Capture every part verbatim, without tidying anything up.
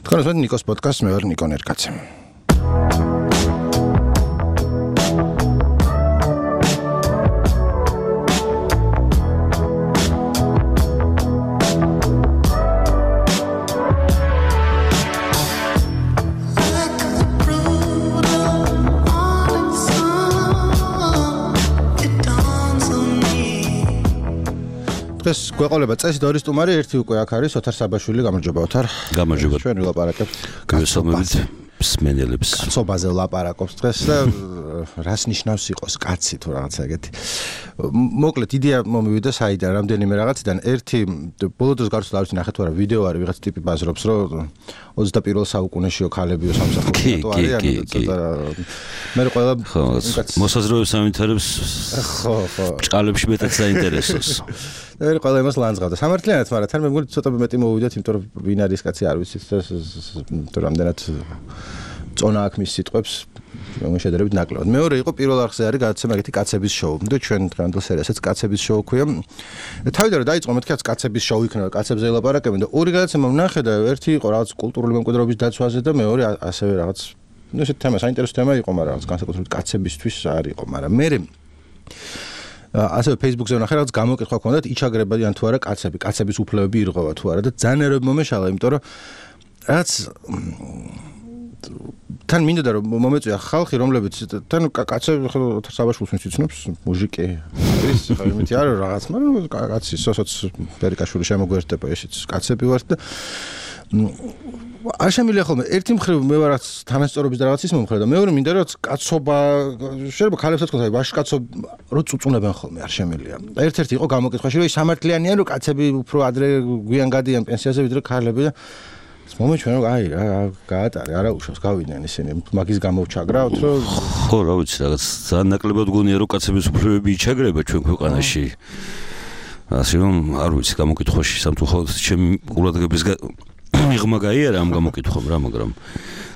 თქვენს მე ნიკოს პოდკასტს მე ვარ ნიკო ნერკაცე. დღეს გვეყოლება წესი და ორი სტუმარი, ერთი უკვე აქ არის ოთარ საბაშვილი, გამარჯობა ოთარ. გამარჯობა. ჩვენ ვილაპარაკებთ გასწავლებით მსმენელებს. კაცობაზე ვლაპარაკობს დღეს და რას ნიშნავს იყოს კაცი თუ რაღაცა ეგეთი. მოკლედ იდეა მომივიდა საიდან რამდენიმე რაღაციდან. ერთი ბოლო დროს გარკვეულ არის ნახეთ ვარა ვიდეო არის ვიღაც ტიპი ბაზრობს რომ ოცდაპირვე საუკუნეშიო ქალებიო სამსახურში არის ცოტა მე ყველა მოსაზრებებს ამითარებს ხო ხო ჭყალებში მეტად საინტერესოს. მე ყველა იმას ლანძღავდა. სამართლიანად, მაგრამ თან მე მგონი ცოტა მეტი მოვიდეთ, იმიტომ რომ ვინ არის კაცი არ ვიცით და თუ რამდენად წონა აქვს მის სიტყვებს, რომ შედარებით ნაკლებად. მეორე იყო პირველ არხზე არის გადაცემა ეგეთი კაცების შოუ. და ჩვენ დღევანდელ სერიასაც კაცების შოუ ქვია. თავიდან რომ დაიწყო მეთქი კაცების შოუ იქნება, კაცებზე ელაპარაკებენ და ორი გადაცემა ვნახე და ერთი იყო რაღაც კულტურული მემკვიდრეობის დაცვაზე და მეორე ასევე რაღაც ნუ ესეთ თემა, საინტერესო თემა იყო, მაგრამ რაღაც განსაკუთრებით კაცებისთვის არ იყო, მაგრამ მე ასევე Facebook-ზე ვნახე რაღაც გამოკითხვა ქონდათ იჩაგრებიან თუ არა კაცები, კაცების უფლებები ირღვევა თუ არა და ძალიან ერები მომეშალა, იმიტომ რომ რაც თან მინდოდა რომ მომეწვია ხალხი, რომლებიც თან კაცები ხო საბაშულს მიცნობს, მუჟიკი ის ხო იმითი არა რაღაც, მაგრამ კაცი სოსოც პერიკაშვილი შემოგვერდება ესეც კაცები ვართ და არ შემიძლია ხოლმე ერთი მხრივ მე ვარაც თანასწორობის და რაღაცის მომხრე და მეორე მინდა რომ კაცობა შეიძლება ქალებსაც თქვა ვაშკაცობა რო წუწუნებენ ხოლმე არ შემიძლია. ერთ-ერთი იყო გამოკითხვაში რომ ის სამართლიანია რომ კაცები უფრო ადრე გვიან გადიან პენსიაზე ვიდრე ქალები და მომეჩვენა რომ აი რა გაატარე არა უშავს გავიდნენ ისინი მაგის გამოვჩაგრავთ რომ ხო რა ვიცი რაღაც ძალიან ნაკლებად გონია რომ კაცების უფლებები იჩაგრება ჩვენ ქვეყანაში. ასე რომ არ ვიცი გამოკითხვაში სამწუხაროდ ჩემი ყურადღების მიღმა გაიარა ამ გამოკითხვამ რა, მაგრამ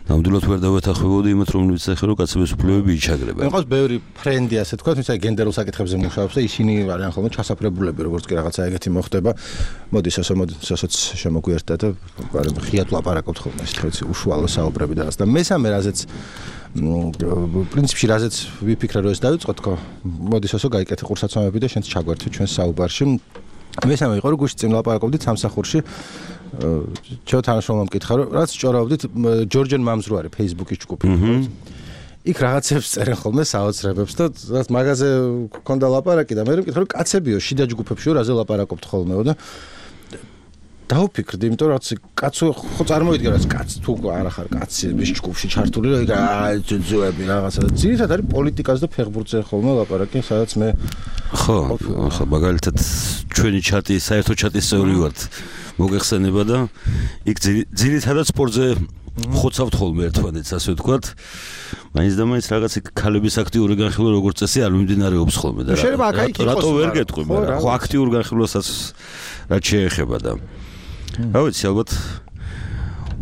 ნამდვილად ვერ დავეთანხმებოდი იმათ რომ ვიცახე რომ კაცების უფლებები იჩაგრება. მიყავს ბევრი ფრენდი ასე თქვა, თუმცა გენდერულ საკითხებზე მუშაობს და ისინი არიან ხოლმე ჩასაფრებულები, როგორც კი რაღაცა ეგეთი მოხდება. მოდი სასო მოდი სასოც შემოგვიერთდა და ხიათ ლაპარაკობთ ხოლმე ეს თქო უშუალო საუბრები და რაც და მესამე რაზეც პრინციპში რაზეც ვიფიქრე რომ ეს დავიწყო თქო მოდი სასო გაიკეთე ყურსაცმლები და შენც ჩაგვერთე ჩვენს საუბარში. მესამე იყო რომ გუშინ წინ ლაპარაკობდით სამსახურში ჩვენ თანაშრომლამ მკითხა რომ რაც ჭორავდით ჯორჯენ მამს რო არის Facebook-ის ჯგუფი. იქ რაღაცებს წერენ ხოლმე საოცრებებს და რაც მაგაზე გქონდა ლაპარაკი და მე მკითხა რომ კაცებიო შიდა ჯგუფებში რაზე ლაპარაკობთ ხოლმეო და დავფიქრდი, იმიტომ რომ რაც კაცო ხო წარმოიდგინე რაც კაც თუ არა ხარ კაცი მის ჯგუფში ჩართული რომ აი ძუძუები რაღაცა და ძირითადად არის პოლიტიკაზე და ფეხბურთზე ხოლმე ლაპარაკი, სადაც მე ხო ხო მაგალითად ჩვენი ჩატი საერთო ჩატის წევრი ვართ მოგეხსენება და იქ ძირითადად სპორტზე ხოცავთ ხოლმე ერთმანეთს ასე ვთქვათ. მაინც და მაინც რაღაც ქალების აქტიური განხილვა როგორც წესი არ მიმდინარეობს ხოლმე და რატო ვერ გეტყვი მაგრამ ხო აქტიურ განხილვასაც რაც შეეხება და რა ვიცი ალბათ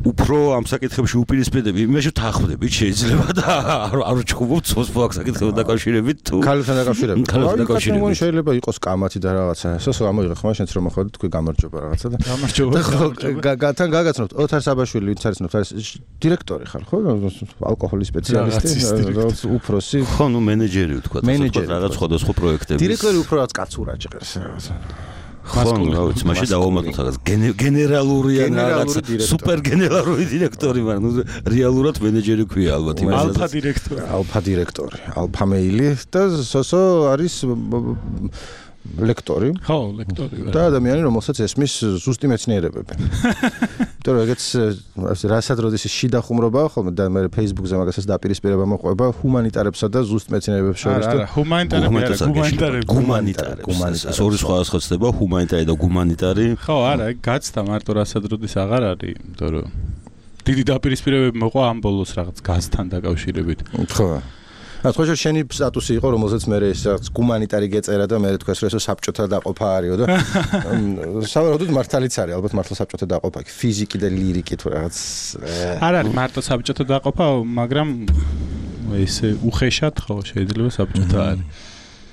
უფრო ამ საკითხებში უპირისპირდები იმაში თანხმდებით შეიძლება და არ ვჩხუბობთ სოციალურ საკითხებთან დაკავშირებით თუ ქალებთან დაკავშირებით ქალებთან დაკავშირებით შეიძლება იყოს კამათი და რაღაცა სოსო ამოიღე ხმა შენც რომ მოხდა თქვი გამარჯობა რაღაცა და გამარჯობა თან გაგაცნობთ ოთარ საბაშვილი ვინც არის ნოთარის დირექტორი ხარ ხო ალკოჰოლის სპეციალისტი უფროსი ხო ნუ მენეჯერი ვთქვა რაღაც სხვადასხვა პროექტების დირექტორი უფრო რაც კაცურა ჭყერს რაღაცა ხო, რა ვიცი, მაშინ დავამატოთ რაღაც გენერალური ან რაღაც სუპერ გენერალური დირექტორი, მაგრამ რეალურად მენეჯერი ქვია ალბათ იმას. ალფა დირექტორი. ალფა დირექტორი, ალფა მეილი და სოსო არის ლექტორი. ხო, ლექტორი. და ადამიანი, რომელსაც ესმის ზუსტი მეცნიერებები. იმიტომ რომ ეგეც რასაც როდის შიდა ხუმრობაა ხოლმე და მე Facebook-ზე მაგასაც დაპირისპირება მოყვება ჰუმანიტარებსა და ზუსტ მეცნიერებებს შორის და არა, ჰუმანიტარები არა, გუმანიტარები. გუმანიტარები. ორი სხვა ხოცდება, ჰუმანიტარი და გუმანიტარი. ხო, არა, გაცდა მარტო რასაც როდის აღარ არის, იმიტომ რომ დიდი დაპირისპირებები მოყვა ამ ბოლოს რაღაც გაზთან დაკავშირებით. ხო. ახლა შენი სტატუსი იყო, რომელზეც მე ეს გუმანიტარი გეწერა და მე თქვეს რომ ეს საბჭოთა დაყოფა არისო და სავარაუდოდ მართალიც არის, ალბათ მართლა საბჭოთა დაყოფა, ფიზიკი და ლირიკი თუ რაღაც არ არის მარტო საბჭოთა დაყოფა, მაგრამ ესე უხეშად ხო შეიძლება საბჭოთა არის.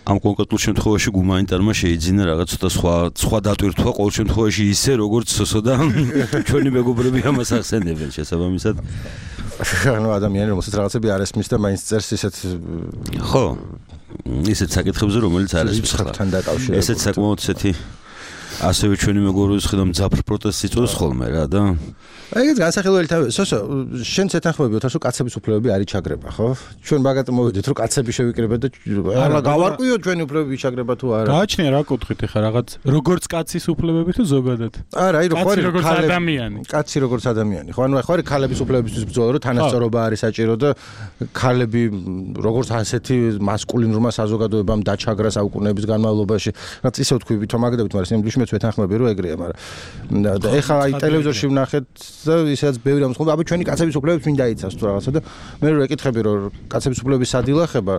ამ კონკრეტულ შემთხვევაში გუმანიტარმა შეიძინა რაღაც ცოტა სხვა სხვა დატვირთვა ყოველ შემთხვევაში ისე როგორც სოსოდა ჩვენი მეგობრები ამას ახსენებენ შესაბამისად ანუ ადამიანი რომელსაც რაღაცები არ ესმის და მაინც წერს ისეთ ხო ისეთ საკითხებზე რომელიც არ ესმის ხალხთან დაკავშირებით ესეც საკმაოდ ისეთი ასევე ჩვენი მეგობრების ხედავ მძაფრ პროტესტს იწვევს ხოლმე რა და აი ეს განსახილველი თავი სოსო შენ ცეთანხმები ოთარ რომ კაცების უფლებები არ იჩაგრება ხო ჩვენ მაგათ მოვიდეთ რომ კაცები შევიკრიბეთ და არა გავარკვიო ჩვენი უფლებები იჩაგრება თუ არა გააჩნია რა კუთხით ეხა რაღაც როგორც კაცის უფლებები თუ ზოგადად არა აი რო ხარ როგორც ადამიანი კაცი როგორც ადამიანი ხო ანუ ხარ ქალების უფლებებისთვის ბრძოლა რომ თანასწორობა არის საჭირო და ქალები როგორც ასეთი მასკულინურმა საზოგადოებამ დაჩაგრა საუკუნეების განმავლობაში რაც ისე ვთქვი ვითომაგდებით მაგრამ სიმბლიშ მეც ვეთანხმები რომ ეგრეა მაგრამ და ეხა აი ტელევიზორში ვნახეთ და ისაც ბევრი ამის ხოლმე აბა ჩვენი კაცების უფლებებს ვინ დაიცავს თუ რაღაცა და მე რო ეკითხები რომ კაცების უფლებების სადილახება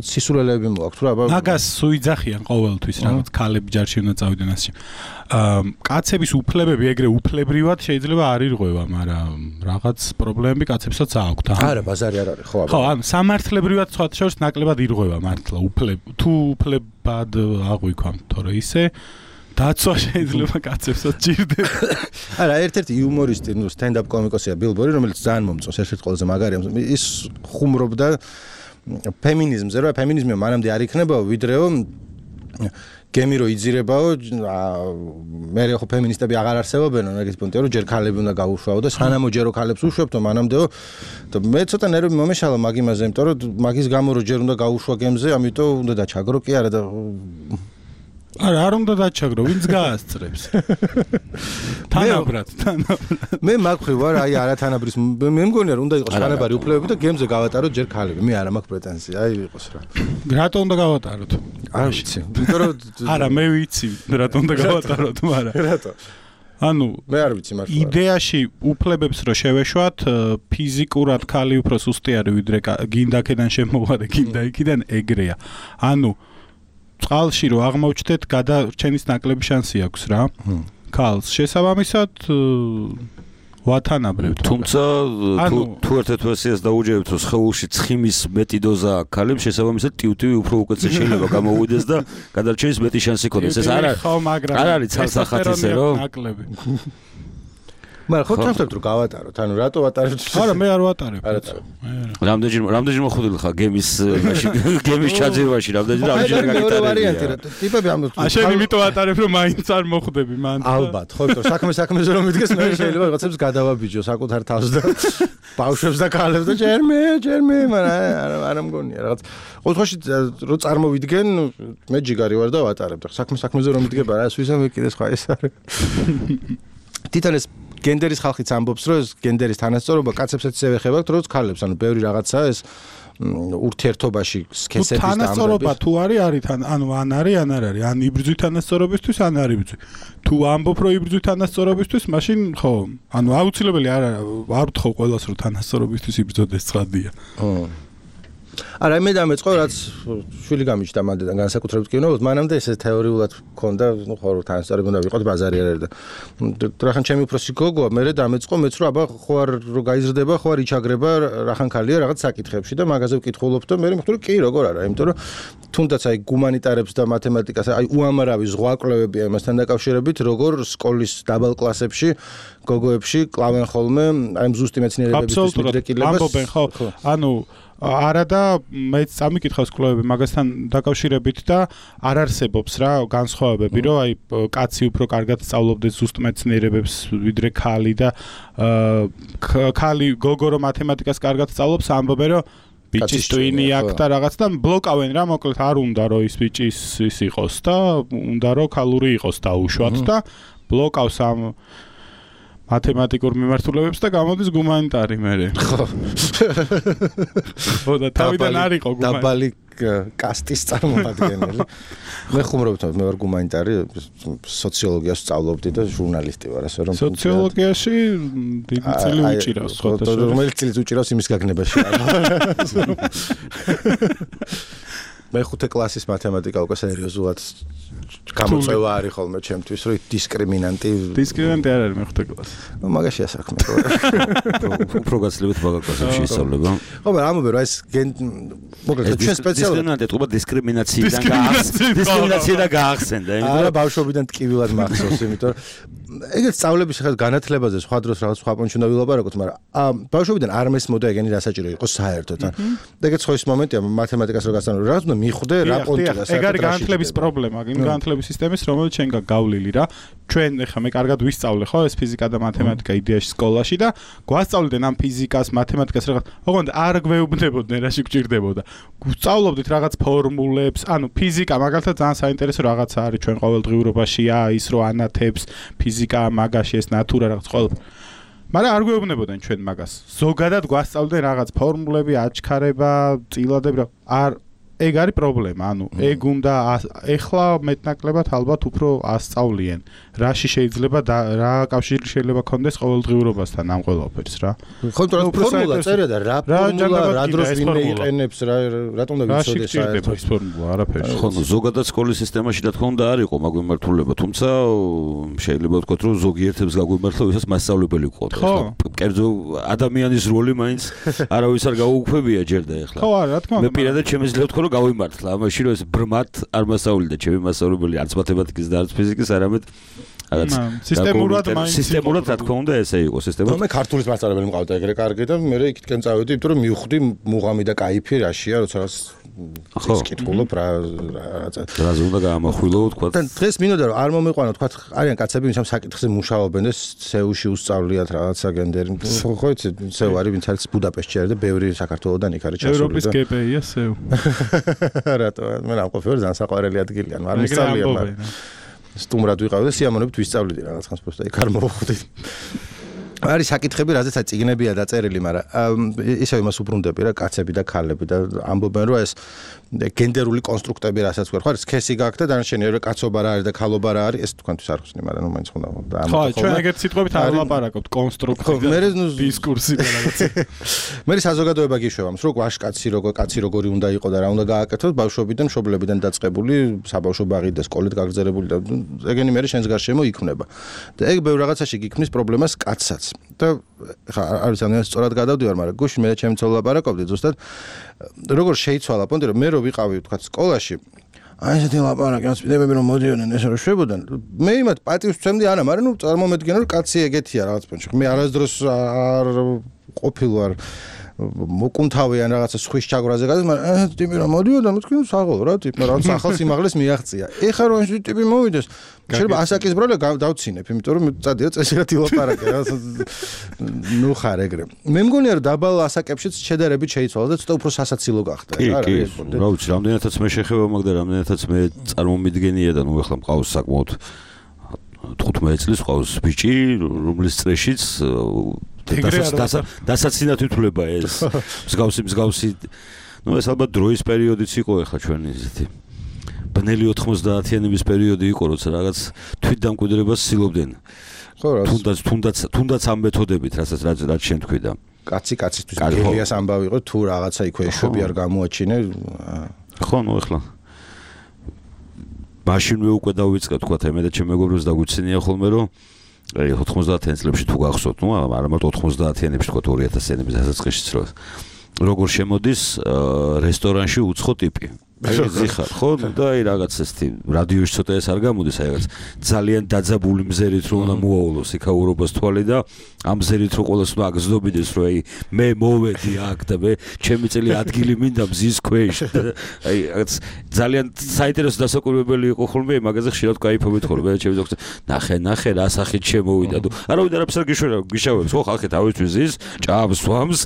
სისულელეები მოაქვს რა აბა მაგას სუიძახიან ყოველთვის რაღაც ქალები ჯარში უნდა წავიდნენ ასე კაცების უფლებები ეგრე უფლებრივად შეიძლება არ ირღვევა მაგრამ რაღაც პრობლემები კაცებსაც აქვთ არა ბაზარი არ არის ხო აბა ხო ან სამართლებრივად სხვა შორის ნაკლებად ირღვევა მართლა უფლებ თუ უფლებად აღვიქვამთ თორე ისე დაცვა შეიძლება კაცებსაც ჭირდება. არა, ერთ-ერთი იუმორისტი, ნუ სტენდაპ კომიკოსია ბილ ბორი, რომელიც ძალიან მომწონს, ერთ-ერთი ყველაზე მაგარია. ის ხუმრობდა ფემინიზმზე, რა ფემინიზმი მანამდე არ იქნებაო, ვიდრეო გემი რო იძირებაო, მე ხო ფემინისტები აღარ არსებობენ, ეგეც პუნქტია, რომ ჯერ ქალები უნდა გაუშვაო და სანამ ჯერო ქალებს უშვებთო, მანამდეო და მე ცოტა ნერვი მომეშალა მაგ იმაზე, იმიტომ რომ მაგის გამო რო ჯერ უნდა გაუშვა გემზე, ამიტომ უნდა დაჩაგრო კი არა და არა, არ უნდა დაჩაგრო, ვინც გაასწრებს. თანაბრად, თანაბრად. მე მაქვი ვარ, აი არათანაბრის მე მგონია რომ უნდა იყოს თანაბარი უფლებები და გემზე გავატაროთ ჯერ ქალები. მე არა მაქვს პრეტენზია, აი იყოს რა. რატო უნდა გავატაროთ? არ ვიცი. იმიტომ რომ არა, მე ვიცი, რატო უნდა გავატაროთ, მაგრამ რატო? ანუ მე არ ვიცი მართლა. იდეაში უფლებებს რო შევეშვათ, ფიზიკურად ქალი უფრო სუსტი არის ვიდრე გინდაკიდან შემოვა და გინდა იქიდან ეგრეა. ანუ წყალში რო აღმოჩნდეთ, გადარჩენის ნაკლები შანსი აქვს რა. ქალს შესაბამისად ვათანაბრებთ. თუმცა თუ ერთ-ერთ ვერსიას დაუჯერებთ, რომ სხეულში ცხიმის მეტი დოზა აქვს ქალებს, შესაბამისად ტივტივი უფრო უკეთეს შეიძლება გამოვიდეს და გადარჩენის მეტი შანსი ქონდეს. ეს არ არ არის ცალსახათისე რო ნაკლები. მაგრამ ხო ჩავთვალეთ რომ გავატაროთ, ანუ რატო ვატარებთ? არა, მე არ ვატარებ. არ ატარებ. რამდენჯერ რამდენჯერ მოხდილი ხარ გემის გემის ჩაძირვაში, რამდენჯერ რამდენჯერ გაგიტარებია. ვარიანტი რა, ტიპები ამ შენ იმიტომ ვატარებ რომ მაინც არ მოხდები მან. ალბათ, ხო, იმიტომ საქმე საქმეზე რომ მიდგეს, მე შეიძლება რაღაცებს გადავაბიჯო საკუთარ თავს და ბავშვებს და ქალებს და ჯერ მე, ჯერ მე, მაგრამ არ მგონია რაღაც. ყოველთვის რო წარმოვიდგენ, მე ჯიგარი ვარ და ვატარებ. საქმე საქმეზე რომ მიდგება რა, სვისა მე კიდე სხვა ეს არის. თვითონ ეს გენდერის ხალხიც ამბობს, რომ ეს გენდერის თანასწორობა კაცებსაც ისე ეხება, როგორც ქალებს, ანუ ბევრი რაღაცაა ეს ურთიერთობაში სქესების დამრეცი. თანასწორობა თუ არის, არის თან, ანუ ან არის, ან არ არის, ან იბრძვი თანასწორობისთვის, ან არ იბრძვი. თუ ამბობ, რომ იბრძვი თანასწორობისთვის, მაშინ ხო, ანუ აუცილებელი არ არ ვთხოვ ყველას, რომ თანასწორობისთვის იბრძოდეს ცხადია. არა, მე დამეწყო, რაც შვილი გამიჩნდა მანდიდან განსაკუთრებით კინოებს, მანამდე ესე თეორიულად მქონდა, ნუ ხო რომ თანასწორები უნდა ვიყოთ ბაზარი არ არის და რახან ჩემი უფროსი გოგოა, მე დამეწყო, მეც რომ აბა ხო არ რო გაიზრდება, ხო არ იჩაგრება რახან ქალია რაღაც საკითხებში და მაგაზე ვკითხულობ და მე მიხდური კი როგორ არა, იმიტომ რომ თუნდაც აი გუმანიტარებს და მათემატიკას, აი უამრავი ზღვაკვლევებია იმასთან დაკავშირებით, როგორ სკოლის დაბალ კლასებში გოგოებში კლავენ ხოლმე აი ზუსტი მეცნიერებების მიდრეკილებას. ამბობენ ხო, ანუ არა და მეც წამიკითხავს კვლევები მაგასთან დაკავშირებით და არ არსებობს რა განსხვავებები რომ აი კაცი უფრო კარგად სწავლობდეს ზუსტ მეცნიერებებს ვიდრე ქალი და ქალი გოგო რომ მათემატიკას კარგად სწავლობს ამბობენ რომ ბიჭის ტვინი აქვს და რაღაც და ბლოკავენ რა მოკლედ არ უნდა რომ ის ბიჭის ის იყოს და უნდა რომ ქალური იყოს დაუშვათ და ბლოკავს ამ მათემატიკურ მიმართულებებს და გამოდის გუმანიტარი მერე. ხო. ხო და თავიდან არ იყო გუმანიტარი. დაბალი კასტის წარმომადგენელი. მე ხუმრობთ, მე ვარ გუმანიტარი, სოციოლოგიას ვსწავლობდი და ჟურნალისტი ვარ, ასე რომ. სოციოლოგიაში დიდი წილი უჭირავს, ხო და რომელიც წილი უჭირავს იმის გაგნებაში. მე ხუთე კლასის მათემატიკა უკვე სერიოზულად გამოწვევა არის ხოლმე ჩემთვის, რომ დისკრიმინანტი დისკრიმინანტი არ არის მეხუთე კლასი. ნუ მაგაში ასახმე. უფრო გაცილებით მაგა კლასებში ისწავლება. ხო, მაგრამ ამობე რა ეს მოკლედ ჩვენ სპეციალურად დისკრიმინანტი თქო დისკრიმინაციიდან გაახსენდა. დისკრიმინაციიდან გაახსენდა. არა ბავშვობიდან ტკივილად მახსოვს, იმიტომ რომ ეგეც სწავლების ხელ განათლებაზე სხვა დროს რაღაც სხვა პონჩი უნდა ვილაპარაკოთ, მაგრამ ბავშვობიდან არ მესმოდა ეგენი რა საჭირო იყო საერთოდ. ეგეც ხო ის მომენტია მათემატიკას რო გასწავლე, რაღაც უნდა მიხვდე რა პონტია საერთოდ. ეგ არის განათლების პრობლემა, იმ განათლების სისტემის, რომელიც ჩვენ გავლილი რა. ჩვენ ეხლა მე კარგად ვისწავლე ხო ეს ფიზიკა და მათემატიკა იდეაში სკოლაში და გვასწავლდნენ ამ ფიზიკას, მათემატიკას რაღაც. ოღონდ არ გვეუბნებოდნენ რა შეგვჭირდებოდა. გვსწავლობდით რაღაც ფორმულებს, ანუ ფიზიკა მაგალითად ძალიან საინტერესო რაღაცა არის ჩვენ ყოველდღიურობაშია, ის რო ანათებს ფიზიკა მაგაში ეს ნატურა რაღაც ყოველ მაგრამ არ გვეუბნებოდნენ ჩვენ მაგას. ზოგადად გვასწავლდნენ რაღაც ფორმულები, აჩქარება, წილადები, არ ეგ არის პრობლემა, ანუ ეგ უნდა ეხლა მეტნაკლებად ალბათ უფრო ასწავლიან. რაში შეიძლება რა კავშირი შეიძლება ქონდეს ყოველდღიურობასთან ამ ყველაფერს რა. ხო, თორემ ფორმულა წერია და რა ფორმულა რა დროს ვინმე იყენებს, რა რატომ და ვიცოდი საერთოდ ეს ფორმულა არაფერი. ხო, ზოგადად სკოლის სისტემაში და თქო უნდა არ იყო მაგვიმართულება, თუმცა შეიძლება ვთქვათ, რომ ზოგიერთებს გაგვიმართლა, ვისაც მასწავლებელი ყოთ. კერძო ადამიანის როლი მაინც არავის არ გაუუქმებია ჯერ და ეხლა. ხო, არა, რა თქმა უნდა. მე პირადად შემიძლია ვთქვა, რომ გავიმართლა, ამაში რომ ეს ბრმად არ მასწავლიდა ჩემი მასწავლებელი არც მათემატიკის და არც ფიზიკის, არამედ რაღაც სისტემურად მაინც სისტემურად რა თქმა უნდა ესე იყო სისტემურად. მე ქართულის მასწავლებელი მყავდა ეგრე კარგი და მე იქითკენ წავედი, იმიტომ რომ მივხვდი მუღამი და кайფი რაშია, როცა რაღაც ის კითხულობ რა რაღაცა. რა ზონდა გამახვილო თქვა. და დღეს მინდოდა რომ არ მომიყვანო თქვა არიან კაცები ვინც ამ საკითხზე მუშაობენ და სეულში უსწავლიათ რაღაცა გენდერი. ხო იცი სეუ არის ვინც არის ბუდაპეშტში არის და ბევრი საქართველოსდან იქ არის ჩასული. ევროპის კეპეია სეუ. რატო მე რა ყოფილი ძალიან საყვარელი ადგილია, ანუ არ მისწავლია მაგრამ სტუმრად ვიყავ და სიამოვნებით ვისწავლიდი რაღაც ხანს просто იქ არ მოვხვდი. არის საკითხები, რაზეც წიგნებია დაწერილი, მაგრამ ისევ იმას უბრუნდები რა, კაცები და ქალები და ამბობენ რომ ეს გენდერული კონსტრუქტები რასაც ვქარ, ხო, სქესი გაქვს და დანარჩენი რა კაცობა რა არის და ქალობა რა არის, ეს თქვენთვის არ ხსნი, მაგრამ ნუ მაინც ხონდა და ამ ხო, ჩვენ ეგეთ სიტყვებით არ ვლაპარაკობთ, კონსტრუქცია და დისკურსი და რაღაცა. მე საზოგადოება გიშვება, რომ ვაშკაცი როგორ კაცი როგორი უნდა იყოს და რა უნდა გააკეთოს, ბავშვობიდან, მშობლებიდან დაწყებული, საბავშვო ბაღით და სკოლით გაგრძელებული და ეგენი მე შენს გარშემო იქმნება. და ეგ ბევრ რაღაცაში გიქმნის პრობლემას კაცსაც. და ხა არის ამას სწორად გადავდივარ, მაგრამ გუშინ მე და ჩემი ცოლ ლაპარაკობდი ზუსტად როგორ შეიცვალა პონტი რომ მე რო ვიყავი თქვა სკოლაში აი ესეთი ლაპარაკი ასპიდები რომ მოდიოდნენ ეს რო შვებოდან მე იმათ პატივს ვცემდი არა მაგრამ ნუ წარმომედგენ რომ კაცი ეგეთია რაღაც პონჩი მე არასდროს არ ყოფილ ვარ მოკუნთავიან რაღაცა სხვის ჩაგვრაზე გადის მაგრამ ტიპი რომ მოდიოდა მე თქვი საღოლო რა ტიპი რაღაც ახალ სიმაღლეს მიაღწია ეხლა რომ ეს ტიპი მოვიდეს შეიძლება ასაკის ბრალე დავცინებ იმიტომ რომ წადიო წესრიგად ილაპარაკე რა ნუ ხარ ეგრე მე მგონია რომ დაბალ ასაკებშიც შედარებით შეიცვალა და ცოტა უფრო სასაცილო გახდა რა რა რა ვიცი რამდენადაც მე შეხება მაგ და რამდენადაც მე წარმომიდგენია და ნუ ეხლა მყავს საკმაოდ თხუთმეტ წლის ყავს ბიჭი რომლის წრეშიც დასაცინად ითვლება ეს მსგავსი მსგავსი ნუ ეს ალბათ დროის პერიოდიც იყო ეხლა ჩვენი ისეთი ბნელი ოთხმოცდაათიანების პერიოდი იყო როცა რაღაც თვითდამკვიდრებას ცდილობდნენ ხო რა თუნდაც თუნდაც თუნდაც ამ მეთოდებით რასაც რაც შენ თქვი და კაცი კაცისთვის გელიას ამბავი იყო თუ რაღაცა იქვე ეშვები არ გამოაჩინე ხო ნუ ეხლა მაშინვე უკვე დავიწყე თქვა მე და ჩემ მეგობრებს დაგვიცინია ხოლმე რომ აი ოთხმოცდაათიან წლებში თუ გახსოვთ, ნუ არა მარტო ოთხმოცდაათიანებში თქვა ორი ათას წლების დასაწყისშიც რო როგორ შემოდის რესტორანში უცხო ტიპი. აი ზიხარ, ხო? და აი რაღაც ესეთი რადიოში ცოტა ეს არ გამოდის, აი რაღაც ძალიან დაძაბული მზერით რო უნდა მოაულოს იქაურობას თვალი და ამ მზერით რო ყოველს უნდა აგზნობიდეს რომ აი მე მოვედი აქ და მე ჩემი წელი ადგილი მინდა მზის ქვეშ. აი რაღაც ძალიან საინტერესო დასაკვირვებელი იყო ხოლმე მაგაზე ხშირად кайფობით ხოლმე ჩემი ზოგს ნახე ნახე რა სახით შემოვიდა თუ არავინ არაფერს არ გიშვერა გიშავებს ხო ხალხი თავისთვის ზის ჭამს ვამს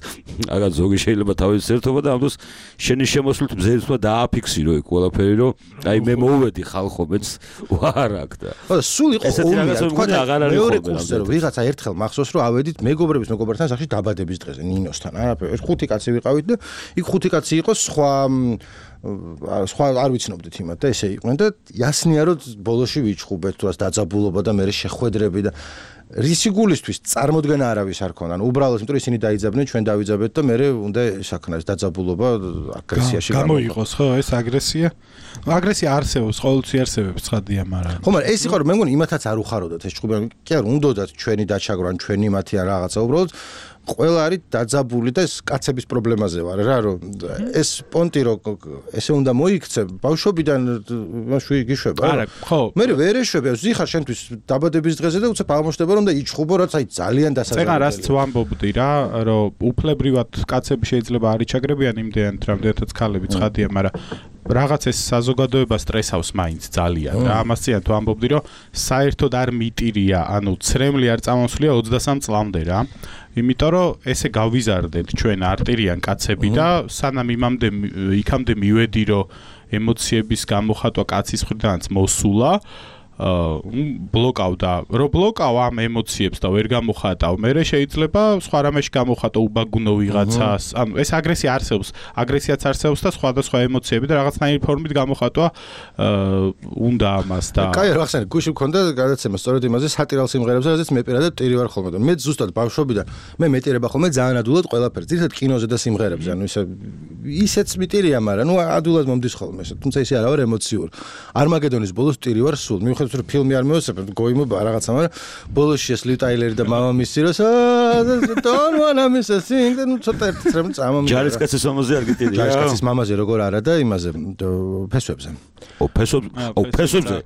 რაღაც ზოგი შეიძლება თავის ერთობა და ამ დროს შენი შემოსვლით მზერით უნდა დააფიქსირო იქ ყველაფერი რომ აი მე მოვედი ხალხო მეც ვარ აქ და ხო სულ იყო ესეთი რაღაც მგონი აღარ არის ხოლმე რომ ვიღაცა ერთხელ მახსოვს რომ ავედით მეგობრების მეგობრებთან სახში დაბადების დღეზე ნინოსთან არაფერი ხუთი კაცი ვიყავით და იქ ხუთი კაცი იყო სხვა სხვა არ ვიცნობდით იმათ და ესე იყვნენ და იასნია რომ ბოლოში ვიჩხუბეთ თუ რას დაძაბულობა და მე შეხვედრები და რისი გულისთვის წარმოდგენა არავის არ ქონდა. ანუ უბრალოდ იმიტომ ისინი დაიძაბნენ, ჩვენ დავიძაბეთ და მე უნდა საქნას დაძაბულობა აგრესიაში გამოიყოს, ხო, ეს აგრესია. აგრესია არსებობს, ყოველთვის არსებობს ცხადია, მაგრამ ხო, მაგრამ ეს იყო რომ მე მგონი იმათაც არ უხაროდათ ეს ჭუბი. კი არ უნდათ ჩვენი დაჩაგრო ან ჩვენი მათი ან რაღაცა უბრალოდ ყველა არის დაძაბული და ეს კაცების პრობლემაზე ვარ რა რომ ეს პონტი რო ესე უნდა მოიქცე ბავშვობიდან მაშვი გიშვება არა ხო მე ვერ ეშვები ზიხარ შენთვის დაბადების დღეზე და უცებ აღმოჩნდება რომ და იჩხუბო რაც აი ძალიან დასაძაბული წეგან რაც ვამბობდი რა რომ უფლებრივად კაცები შეიძლება არ იჩაგრებიან იმდენად რამდენადაც ქალები ცხადია მაგრამ რაღაც ეს საზოგადოება სტრესავს მაინც ძალიან რა ამას წინათ ვამბობდი რომ საერთოდ არ მიტირია ანუ ცრემლი არ წამოსვლია ოცდასამ წლამდე რა იმიტომ რომ ესე გავიზარდეთ ჩვენ არტირიან კაცები და სანამ იმამდე იქამდე მივედი რომ ემოციების გამოხატვა კაცის მხრიდანაც მოსულა ბლოკავდა რო ბლოკავ ამ ემოციებს და ვერ გამოხატავ მე შეიძლება სხვა რამეში გამოხატო უბაგუნო ვიღაცას ანუ ეს აგრესია არსებობს აგრესიაც არსებობს და სხვადასხვა ემოციები და რაღაცნაირი ფორმით გამოხატვა უნდა ამას და კაი რა ხსენე გუში მქონდა გადაცემა სწორედ იმაზე სატირალ სიმღერებზე რაზეც მე პირადად ტირი ვარ ხოლმე და მე ზუსტად ბავშვობიდან მე მეტირება ხოლმე ძალიან ადულად ყველაფერს ძირითადად კინოზე და სიმღერებზე ანუ ისე ისეც მიტირია მაგრამ ნუ ადულად მომდის ხოლმე თუმცა ისე არა ვარ ემოციური არმაგედონის ბოლოს ტირი ვარ სულ მიუხედავად რომ ფილმი არ მევასწრებ გოიმობა რაღაცა მაგრამ ბოლოსში ეს ლივ ტაილერი და მამამისი როს don't wanna miss a thing და ნუ ცოტა ერთ რამ წამომიდა ჯარისკაცის მამაზე არ გიტირია ჯარისკაცის მამაზე როგორ არა და იმაზე ფესვებზე ო ფესვებზე ო ფესვებზე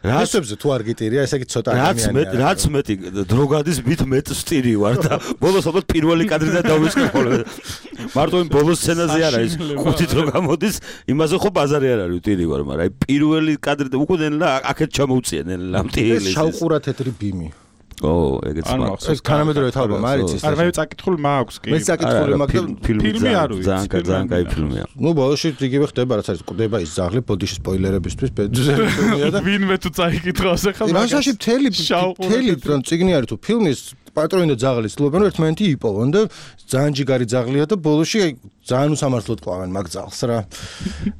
რა ფესვებზე თუ არ გიტირია ესე იგი ცოტა ადამიანია რაც მეტი დროგადის მით მეტ სტილი ვარ და ბოლოს ალბათ პირველი კადრიდან დავიწყე ხოლმე მარტო იმ ბოლოს სცენაზე არა ის ხუთი დრო გამოდის იმაზე ხო ბაზარი არ არის ტირი ვარ მაგრამ აი პირველი კადრიდან უკვე ნელა აქეთ ჩამოუწიენ ლამტიელი ეს შავყურა თეთრი ბიმი ო ეგეც მაგ ეს თანამედროვე თალბა მარიცის არ მე წაკითხული მაქვს კი მე წაკითხული მაქვს ფილმი არ ვიცი ძალიან ძალიან კაი ფილმია ნუ ბოლოში იგივე ხდება რაც არის ყდება ის ზაღლი ბოდიში სპოილერებისთვის ფილმია და ვინმე თუ წაიკითხავს ახლა მაგაში მთელი მთელი წიგნი არის თუ ფილმის პატრონი და ზაღლის ცდილობენ რომ ერთმანეთი იპოვონ და ძალიან ჯიგარი ზაღლია და ბოლოში აი ძალიან უსამართლოდ ყვავენ მაგ ზაღლს რა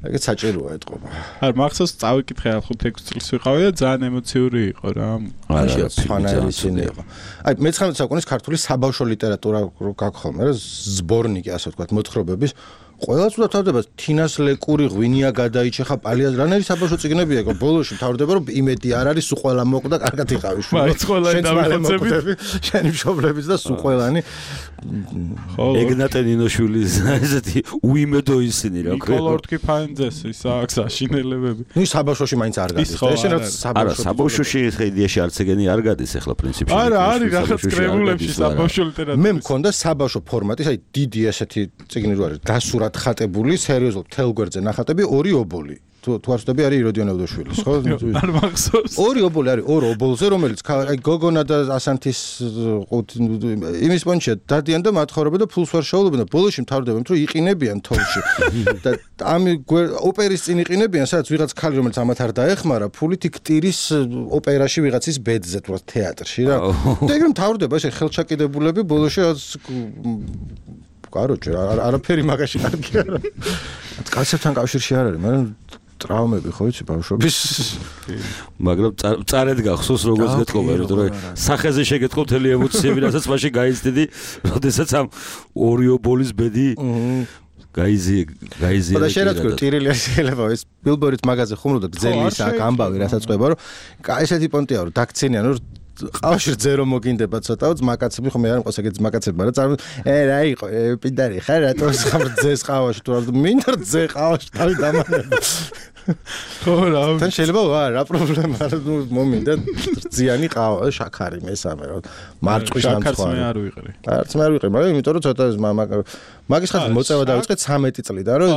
ეგეც საჭიროა ეთყობა არ მახსოვს წავიკითხე ახლა ხუთი წელს ვიყავი და ძალიან ემოციური იყო რა არა ფანარი ისინი იყო აი მეცხრამეტე საუკუნის ქართული საბავშვო ლიტერატურა რო გაქვს ხოლმე რა ზბორნიკი ასე ვთქვათ მოთხრობების ყველას უნდა თავდება თინას ლეკური ღვინია გადაიჭეხა პალიას რანერი საბავშვო წიგნებია იყო ბოლოში თავდება რომ იმედი არ არის სულ ყველა მოკვდა კარგად იყავი შუა მაინც ყველანი დავიხოცები შენი მშობლების და სულ ყველანი ეგნატე ნინოშვილის ესეთი უიმედო ისინი რა ქვია ნიკოლორტკი ფანძეს ის აქვს აშინელებები ნუ საბავშვოში მაინც არ გადის და ეს რაც საბავშვო საბავშვოში ხედიაში არც ეგენი არ გადის ახლა პრინციპში არა არის რაღაც კრებულებში საბავშვო ლიტერატურა მე მქონდა საბავშვო ფორმატის აი დიდი ესეთი წიგნი რო არის დასურა ხატებული სერიოზულად თელგვერდზე ნახატები ორი ობოლი თუ თუ არ ვწდები არის იროდიონ ევდოშვილის ხო არ მახსოვს ორი ობოლი არის ორ ობოლზე რომელიც აი გოგონა და ასანთის იმის პონჩია დადიან და მათხოვრებენ და ფულს ვარ შეავლობენ და ბოლოში მთავრდებენ რომ იყინებიან თოლში და ამ ოპერის წინ იყინებიან სადაც ვიღაც ხალი რომელიც ამათ არ დაეხმარა ფულით ქტირის ოპერაში ვიღაცის ბედზე თუ თეატრში რა და ეგრე მთავრდება ესე ხელჩაკიდებულები ბოლოში კაროჩე არაფერი მაგაში კარგი არა კაცებთან კავშირში არ არის მაგრამ ტრავმები ხო იცი ბავშვობის მაგრამ წარედ გახსოვს როგორც გეტყობა რომ სახეზე შეგეტყო თელი ემოციები რასაც მაშინ გაიცდიდი როდესაც ამ ორი ობოლის ბედი გაიზი გაიზი და შეიძლება თქვი ტირილი შეიძლება ეს ბილბორის მაგაზე ხუმრობდა გძელის აქ ამბავი რასაც ყვება რომ ესეთი პონტია რომ დაქცენიან რომ ყავში ძერო მოგინდება ცოტა ძმაკაცები ხომ მე არ მყავს ეგეთ ძმაკაცები მაგრამ წარ ე რა იყო პიდარი ხარ რატო ხარ ძეს ყავაში თუ რა მინდა ძე ყავაში თავი დამანება ხო რა თან შეიძლება რა პრობლემა ნუ მომინდა ძიანი ყავა შაქარი მესამე რა მარჭვის შაქარს მე არ ვიყრი არც მე არ ვიყრი მაგრამ იმიტომ რომ ცოტა მაგის ხალხი მოწევა დავიწყეთ ცამეტი წლიდან რომ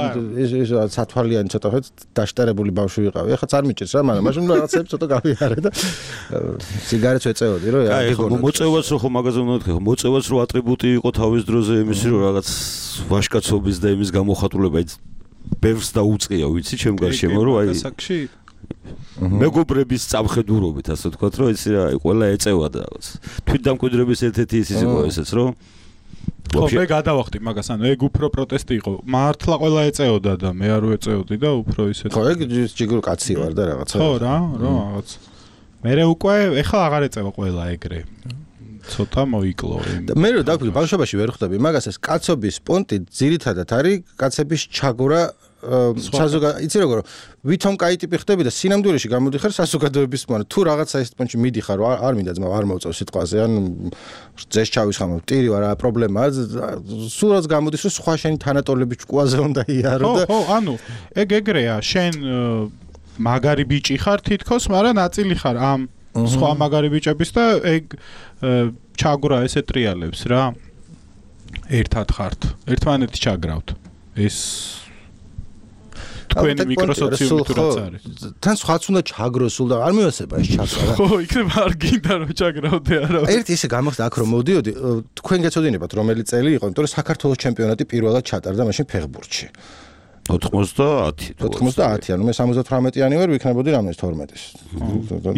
ეს სათვალიანი ცოტა ხო დაშტერებული ბავშვი ვიყავი ახლა არ მიჭირს რა მაგრამ მაშინ რაღაცები ცოტა გავიარე და სიგარეტს ეწეოდი რომ აი ხო მოწევას რო ხო მაგაზე უნდა თქვი მოწევას რო ატრიბუტი იყო თავის დროზე იმისი რომ რაღაც ვაშკაცობის და იმის გამოხატულება ბევრს დაუწყია ვიცი ჩემ გარშემო რომ აი მეგობრების წამხედურობით ასე ვთქვათ რომ ეს აი ყველა ეწევა და რაღაც თვითდამკვიდრების ერთ-ერთი ის იყო ესეც რომ ხო მე გადავახტი მაგას ანუ ეგ უფრო პროტესტი იყო მართლა ყველა ეწეოდა და მე არ ვეწეოდი და უფრო ისეთ ხო ეგ ჯიგურ კაცი ვარ და რაღაცა ხო რა რა რაღაც მე უკვე ეხლა აღარ ეწევა ყველა ეგრე ცოტა მოიკლო. მე რო დავფიქრე, ბავშვობაში ვერ ხვდები, მაგას ეს კაცობის პონტი ძირითადად არის კაცების ჩაგვრა საზოგადო, იცი როგორ ვითომ კაი ტიპი ხდები და სინამდვილეში გამოდიხარ საზოგადოების მან თუ რაღაცა ეს პონტში მიდიხარ არ მინდა ძმა არ მოვწევ სიტყვაზე ან ძეს ჩავისხამო ტირი ვარ რა პრობლემაა სულ რაც გამოდის რომ სხვა შენი თანატოლები ჭკუაზე უნდა იარო და ხო ხო ანუ ეგ ეგრეა შენ მაგარი ბიჭი ხარ თითქოს მაგრამ ნაწილი ხარ ამ სხვა მაგარი ბიჭების და ეგ ჩაგვრა ესე ტრიალებს რა ერთად ხართ ერთმანეთი ჩაგრავთ ეს თქვენი მიკროსოციუმი თუ რაც არის. თან სხვაც უნდა ჩაგროს სულ და არ მივასება ეს ჩაგრა. ხო, იქნება არ გინდა რომ ჩაგრავდე არა. ერთი ისე გამახსდა აქ რომ მოდიოდი, თქვენ გეცოდინებათ რომელი წელი იყო, იმიტომ რომ საქართველოს ჩემპიონატი პირველად ჩატარდა მაშინ ფეხბურთში. ოთხმოცდაათი. ოთხმოცდაათი, ანუ მე სამოცდათვრამეტიანი ვარ, ვიქნებოდი რამეს თორმეტის.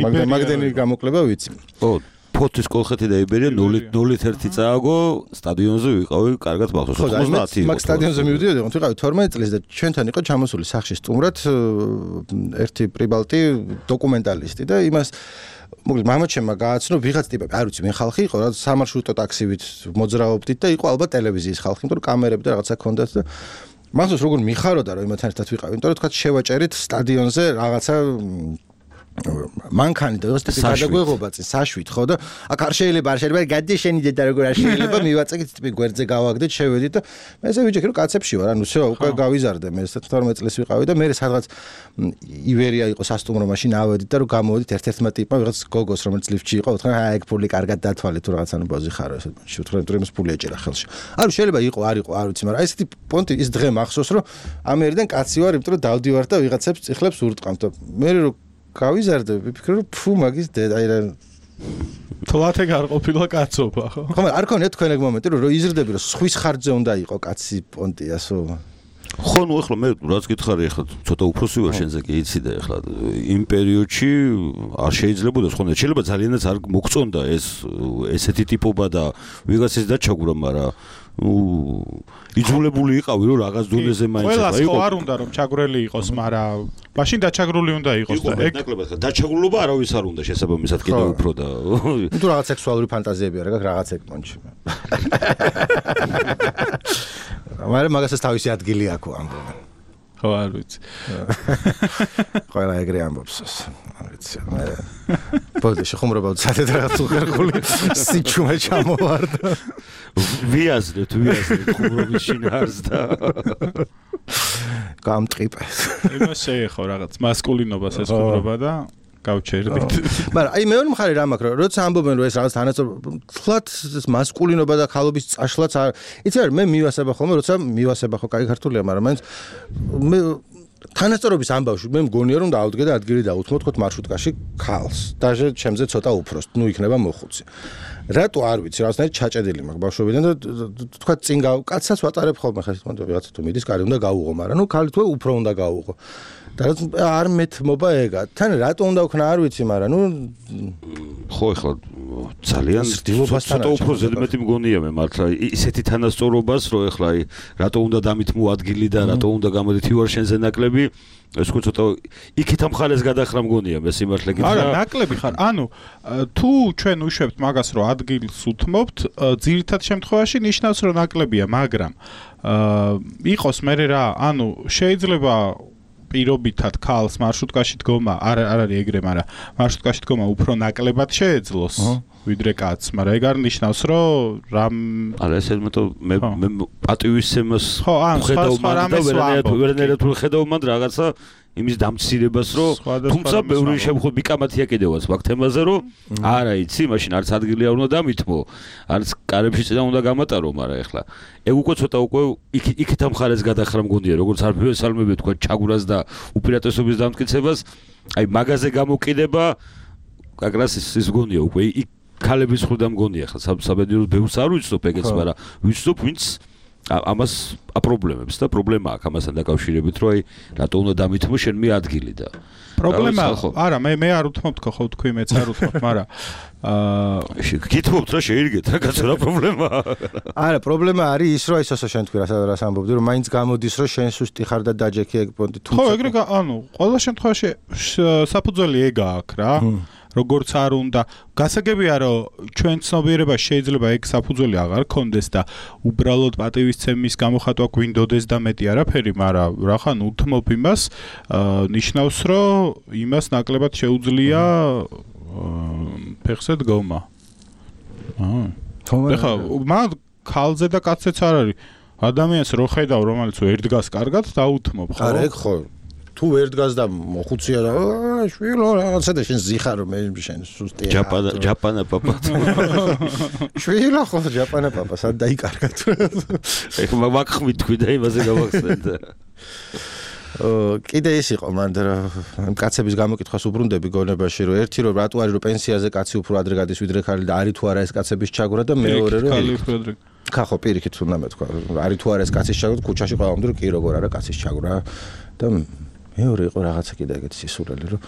მაგდენ მაგდენი გამოკლება ვიცი. ხო ფოთის კოლხეთი და იბერია ნული ერთი წააგო სტადიონზე ვიყავი კარგად მახსოვს ოთხმოცდაათი მაგ სტადიონზე მივდიოდი ვიყავი თორმეტი წლის და ჩვენთან იყო ჩამოსული სახში სტუმრად ერთი პრიბალტი დოკუმენტალისტი და იმას მოკლედ მამაჩემმა გააცნო ვიღაც ტიპები არ ვიცი მე ხალხი იყო რა სამარშრუტო ტაქსივით მოძრაობდით და იყო ალბათ ტელევიზიის ხალხი იმიტომ რომ კამერები და რაღაცა ქონდათ და მახსოვს როგორ მიხაროდა რომ იმათთან ერთად ვიყავი იმიტომ რომ თქვა შევაჭერით სტადიონზე რაღაცა მანქანი და ეს ტიპი გადაგვეღობა წინ საშვით ხო და აქ არ შეიძლება არ შეიძლება გადაშენიდეთ და როგორ არ შეიძლება მივაწეკით ტიპი გვერდზე გავაგდეთ შევედით და მე ესე ვიჯექი რომ კაცებში ვარ ანუ всё უკვე გავიზარდე მე თორმეტი წლის ვიყავი და მე სადღაც ივერია იყო სასტუმრო მაშინ ავედით და რომ გამოვედით ერთ-ერთმა ტიპმა ვიღაც გოგოს რომელიც ლიფტში იყო უთხრა აი ეგ ფული კარგად დათვალე თუ რაღაცა ნუ ბოზი ხარო ესე შევთხრა თუ იმას ფული ეჭერა ხელში ანუ შეიძლება იყო არ იყო არ ვიცი მაგრამ ესეთი პონტი ის დღე მახსოვს რომ ამერიდან კაცი ვარ იმიტომ რომ დავდივარ და ვიღაცებს წიხლებს ურტყამთ და მე რომ გავიზარდე ვიფიქრე რომ ფუ მაგის დედა აი რა თლათე არ ყოფილა კაცობა ხო ხო მაგრამ არ ქონია თქვენ ეგ მომენტი რომ იზრდები რომ სხვის ხარჯზე უნდა იყო კაცი პონტიასო ხო ნუ ეხლა მე რაც გითხარი ეხლა ცოტა უფროსი ვარ შენზე კი იცი და ეხლა იმ პერიოდში არ შეიძლებოდა სხვა შეიძლება ძალიანაც არ მოგწონდა ეს ესეთი ტიპობა და ვიღაცის დაჩაგვრა მაგრამ ნუ იძულებული იყავი რომ რაღაც დონეზე მაინც იყო. ყველა არ უნდა რომ ჩაგვრელი იყოს, მაგრამ მაშინ დაჩაგრული უნდა იყოს და ეგ ნაკლებად ხა დაჩაგრულობა არავის არ უნდა შესაბამისად კიდევ უფრო და თუ რაღაც სექსუალური ფანტაზიები არ გაქვს რაღაც ეგ პონჩი. მაგრამ მაგასაც თავისი ადგილი აქვს ამბობენ. ხო არ ვიცი. ყველა ეგრე ამბობს. არ ვიცი. მე ბოდიში ხუმრობა ცადეთ რაღაც უხერხული სიჩუმე ჩამოვარდა. ვიაზრეთ, ვიაზრეთ ხუმრობის შინაარს და გამტყიპე. იმას შეეხო რაღაც მასკულინობას ეს ხუმრობა და გავჩერდით. მაგრამ აი მეორე მხარე რა მაქვს, როცა ამბობენ რომ ეს რაღაც თანასწორ თლათ მასკულინობა და ხალობის წაშლაც არ იცი რა მე მივასება ხოლმე, როცა მივასება ხო კაი ქართულია, მაგრამ მაინც მე თანასწორობის ამბავში მე მგონია რომ დაავდგე და ადგილი დაუთმო თქო მარშრუტკაში ხალს. დაჟე ჩემზე ცოტა უფროს, ნუ იქნება მოხუცი. რატო არ ვიცი, რაღაცნაირად ჩაჭედილი მაქვს ბავშვობიდან და თქვა წინ გავა კაცსაც ვატარებ ხოლმე ხა თქო ვიღაცა თუ მიდის კარი უნდა გაუღო, მაგრამ ნუ ქალი თუ უფრო უნდა გაუღო. და არ მეთმობა ეგა. თან რატო უნდა ვქნა არ ვიცი, მაგრამ ნუ ხო ეხლა ძალიან ცოტა უფრო ზედმეტი მგონია მე მართლა ისეთი თანასწორობას რომ ეხლა აი რატო უნდა დამითმო ადგილი და რატო უნდა გამოდით ვარ შენზე ნაკლები ეს ხო ცოტა იქით ამ ხალეს გადახრა მგონია მე სიმართლე გითხრა არა ნაკლები ხარ ანუ თუ ჩვენ უშვებთ მაგას რომ ადგილს უთმობთ ძირითად შემთხვევაში ნიშნავს რომ ნაკლებია მაგრამ იყოს მე რა ანუ შეიძლება პირობითად ქალს მარშრუტკაში დგომა არ არ არის ეგრე, მაგრამ მარშრუტკაში დგომა უფრო ნაკლებად შეეძლოს ვიდრე კაცს, მაგრამ ეგ არ ნიშნავს, რომ რამ არა ეს მეტო მე მე პატივისცემას ხედავ მაგრამ ვერანაირად ხედავ მანდ რაღაცა იმის დამცირებას რომ თუმცა ბევრი შემთხვევაში მიკამათია კიდევაც მაგ თემაზე რომ არა იცი მაშინ არც ადგილი არ უნდა დამითმო არც კარებში წინა უნდა გამატარო მაგრამ ეხლა ეგ უკვე ცოტა უკვე იქით ამ ხალეს გადახრა მგონია როგორც არ ფესალმები თქვა ჩაგვრას და უპირატესობის დამტკიცებას აი მაგაზე გამოკიდება კაკრას ის მგონია უკვე იქ ქალების ხრდა მგონია ხა საბედნიეროდ ბევრს არ ვიცნობ ეგეც მაგრამ ვიცნობ ვინც ამას აპრობლემებს და პრობლემა აქვს ამასთან დაკავშირებით რომ აი რატო უნდა დამითმო შენ მე ადგილი და პრობლემა არა მე მე არ უთმობთ ხო თქვი მეც არ უთმობ მაგრამ აა გითმობთ რა შეირგეთ რა კაცო რა პრობლემაა არა პრობლემა არის ის რომ ისოსო შენ თქვი რას ამბობდი რომ მაინც გამოდის რომ შენ სუსტი ხარ და დაჯექი ეგ პონტი თუმცა ხო ეგრე ანუ ყველა შემთხვევაში საფუძველი ეგა აქვს რა როგორც არ უნდა გასაგებია რომ ჩვენ ცნობიერებას შეიძლება ეგ საფუძველი აღარ ქონდეს და უბრალოდ პატივისცემის გამოხატვა გვინდოდეს და მეტი არაფერი, მაგრამ რახან უთმობ იმას ნიშნავს რომ იმას ნაკლებად შეუძლია ფეხზე დგომა. აა. ხა მაგ ქალზე და კაცზეც არ არის. ადამიანს რო ხედავ რომელიც ვერ დგას კარგად დაუთმობ ხო? არა ეგ ხო. თუ ვერ დგას და მოხუცია და შვილო რაღაცა და შენ ზიხარ რომ შენ სუსტია. ჯაპანა ჯაპანა პაპა. შვილო ხო ჯაპანა პაპა სად დაიკარგა თუ. ეგ მაგხმით თქვი და იმაზე გავახსენე. კიდე ის იყო მანდ რომ კაცების გამოკითხვას უბრუნდები გონებაში რომ ერთი რომ რატო არის რომ პენსიაზე კაცი უფრო ადრე გადის ვიდრე ხალი და არის თუ არა ეს კაცების ჩაგვრა და მეორე რომ ხახო პირიქით უნდა მეთქვა არის თუ არა ეს კაცის ჩაგვრა ქუჩაში ყავამდე რომ კი როგორ არა კაცის ჩაგვრა და მეორე იყო რაღაცა კიდე ეგეთი სისულელი რომ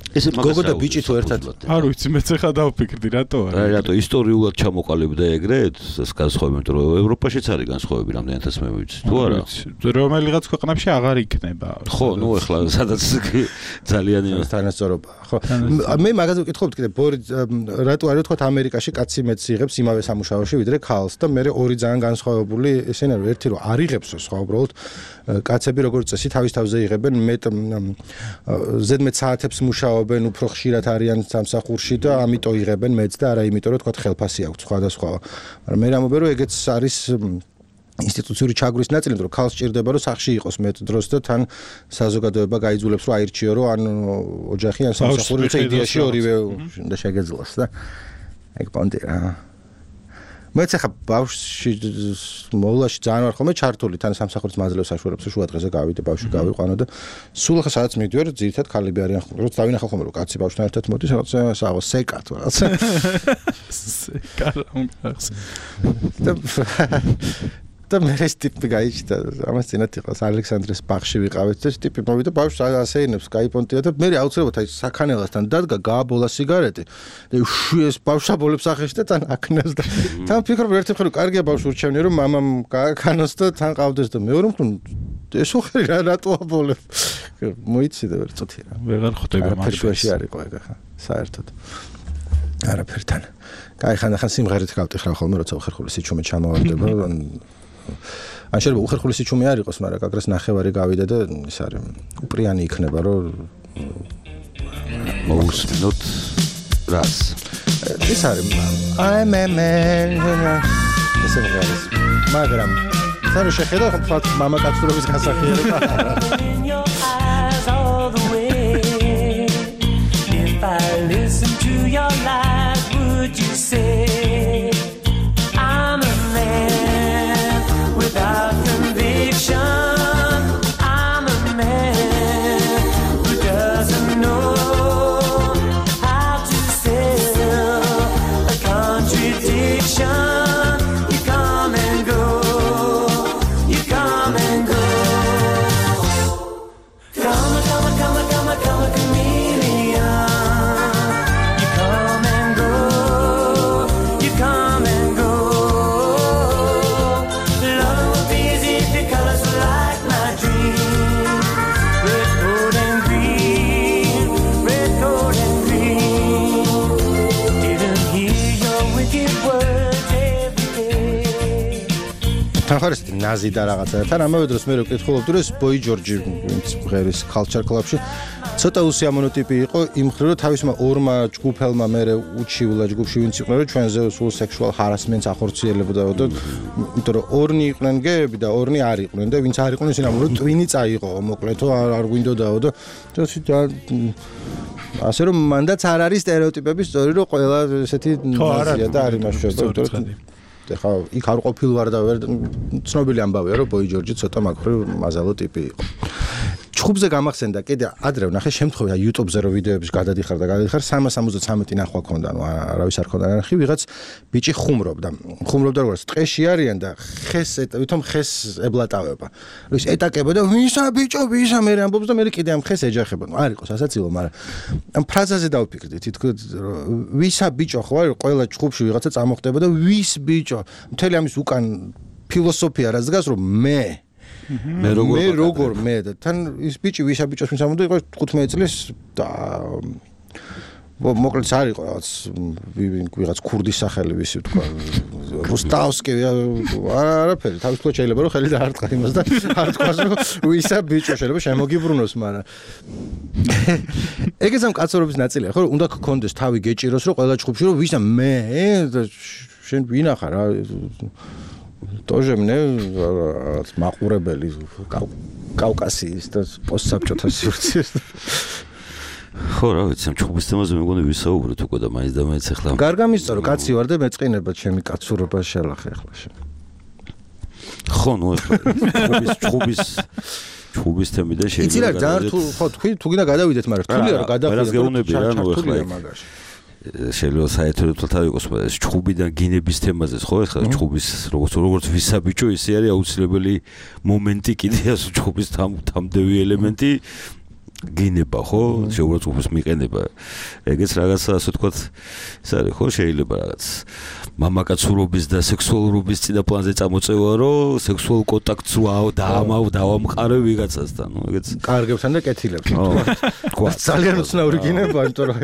ესე მაგას გოგო და ბიჭი თუ ერთად არ ვიცი მეც ახლა დავფიქრდი რატო არა რატო ისტორიულად ჩამოყალიბდა ეგრეთ ეს განსხვავებით რომ ევროპაშიც არის განსხვავები რამდენადაც მე ვიცი თუ არა რომელიღაც ქვეყნებში აღარ იქნება ხო ნუ ახლა სადაც ძალიან თანასწორობა ხო მე მაგაზე ვკითხობთ კიდე რატო არის თქვა ამერიკაში კაცი მეც იღებს იმავე სამუშაოში ვიდრე ქალს და მე ორი ძალიან განსხვავებული ესენა რომ ერთი რომ არ იღებს სხვა უბრალოდ კაცები როგორც წესი თავის თავზე იღებენ მეტ ზედმეტ საათებს მუშაობენ უფრო ხშირად არიან სამსახურში და ამიტომ იღებენ მეც და არა იმიტომ რომ თქვა ხელფასი აქვს სხვადასხვა მაგრამ მე რამობე რომ ეგეც არის ინსტიტუციური ჩაგვრის ნაწილი რომ ქალს სჭირდება რომ სახში იყოს მეტ დროს და თან საზოგადოება გაიძულებს რომ აირჩიო რომ ან ოჯახი ან სამსახური თუმცა იდეაში ორივე უნდა შეგეძლოს და ეგ პონტი რა მეც ახლა ბავშვში მოვლაში ძალიან ვარ ხოლმე ჩართული თან სამსახურის მაძლევს საშუალებს შუა დღეზე გავიდე ბავშვი გავიყვანო და სულ ახლა სადაც მივდივარ ძირითად ხალები არიან ხოლმე რომ დავინახავ ხოლმე რომ კაცი ბავშვთან ერთად მოდის რაღაცა საღო სეკა თუ რაღაცა სეკა რაღაცა და მე ეს ტიპი გაიჩნდა ამას წინათ იყოს ალექსანდრეს ბაღში ვიყავით და ეს ტიპი მოვიდა ბავშვს ასეინებს გაიპონტია და მე აუცილებლად აი საქანელასთან დადგა გააბოლა სიგარეტი და ეს ბავშვაბოლებს ახეში და თან აკნევს და თან ფიქრობ ერთი მხრივ კარგია ბავშვს ურჩევნია რომ მამამ გააკანოს და თან ყავდეს და მეორე მხრივ ეს უხრი რა რატო აბოლებ მოიცი და ვერ წუთი რა ვეღარ ხვდება მაშინ არისო ეგ ახლა საერთოდ არაფერთან კაი ხან ხან სიმღერით გავტიხრავ ხოლმე როცა უხერხული სიჩუმე ჩამოვარდება ან შეიძლება უხერხული სიჩუმე არ იყოს, მაგრამ გაგრას ნახევარი გავიდა და ის არის უპრიანი იქნება, რომ მოусმინოთ რას. ის არის I'm a man. ესე არის. მაგრამ სანუ შეხედა ხო მამაკაცურობის გასახიერება. If I listen to your lies, would you say I'm a man without conviction? I'm a man who doesn't know how to sell a contradiction. You come and go, you come and go. Come, come, come, come, come, chameleon. You come and go, you come and go. Love would be easy if your colors were like my dream. Red, gold, and green, red, gold, and green. Didn't hear your wicked words every day. თანხარეს ნაზი და რაღაცა. თან ამავე დროს მე რო ვკითხულობდი რომ ეს ბოი ჯორჯი ვინც ღერის culture club-ში ცოტა უსიამოვნო ტიპი იყო იმ მხრივ რომ თავისმა ორმა ჯგუფელმა მერე უჩივლა ჯგუფში ვინც იყვნენ რომ ჩვენზე სულ sexual harassment-ს ახორციელებდა და იმიტომ რომ ორნი იყვნენ გეები და ორნი არ იყვნენ და ვინც არ იყვნენ ისინი ამბობენ რომ ტვინი წაიღო მოკლედო არ არ გვინდოდაო და ასე რომ მანდაც არ არის სტერეოტიპები სწორი რომ ყველა ესეთი ნაზია და არ იმაშუება იმიტომ რომ ხა იქ არ ყოფილ ვარ და ვერ ცნობილი ამბავია რომ ბოი ჯორჯი ცოტა მაგხრივ მაზალო ტიპი იყო. ჩხუბზე გამახსენდა კიდე ადრე ვნახე შემთხვევა YouTube-ზე რომ ვიდეოების გადადიხარ და გადადიხარ სამას ორმოცდამეტი ნახვა ქონდა, ნუ არავის არ ქონდა ნახი, ვიღაც ბიჭი ხუმრობდა. ხუმრობდა როგორც ტყეში არიან და ხეს ვითომ ხეს ებლატავება. ის ეტაკება და ვისა ბიჭო, ვისა მე ამბობს და მე კიდე ამ ხეს ეჯახება. ნუ არ იყოს ასაცილო, მაგრამ ამ ფრაზაზე დავფიქრდი, თითქოს ვისა ბიჭო ხო არის ყველა ჩხუბში ვიღაცა წამოხდება და ვის ბიჭო. მთელი ამის უკან ფილოსოფია რაც დგას რომ მე მე როგორ მე როგორ მე და თან ის ბიჭი ვისა ბიჭოს მისამონდა იყო თხუთმეტი წლის და მოკლედ არ იყო რაღაც ვიღაც ქურდის სახელი ვისი თქვა რუსტავსკი არაფერი თავისუფლად შეიძლება რომ ხელი დაარტყა იმას და არ თქვას რომ ვისა ბიჭო შეიძლება შემოგიბრუნოს მაგრამ ეგეც ამ კაცურობის ნაწილია ხო უნდა გქონდეს თავი გეჭიროს რომ ყველა ჯგუფში რომ ვისა მე შენ ვინახა რა тоже мне რაღაც მაყურებელი კავკასიის და პოსტსაბჭოთა სივრცეს ხო რა ვიცი ამ ჩხუბის თემაზე მეგონი ვისაუბრეთ უკვე და მაინც და მაინც ახლა გარგამისწორო რომ კაცი ვარ და მეწყინება ჩემი კაცურობა შელახე ახლა შენ ხო ნუ ახლა ჩხუბის ჩხუბის ჩხუბის თემი და შეიძლება იცი რა ძალიან რთულ ხო თქვი თუ გინდა გადავიდეთ მაგრამ რთულია რომ გადავიდეთ რა გეუბნები რა ნუ ახლა შეიძლება საერთოდ თვალთან იყოს ეს ჩხუბიდან გინების თემაზე ხო ახლა ჩხუბის როგორც როგორც ვისაბიჭო ისე არის აუცილებელი მომენტი კიდე ასე ჩხუბის თამდევი ელემენტი გინება ხო შეუძლია უბრალოდ მიყენება ეგეც რაღაცა ასე ვთქვათ ეს არის ხო შეიძლება რაღაც მამაკაცურობის და სექსუალურობის წინაპლანზე წამოწევა რომ სექსუალურ კონტაქტს ვაო დაამავ დავამყარე ვიღაცასთან ნუ ეგეც კარგებთან და კეთილებთან თქვა ძალიან უცნაური გინება იმიტომ რომ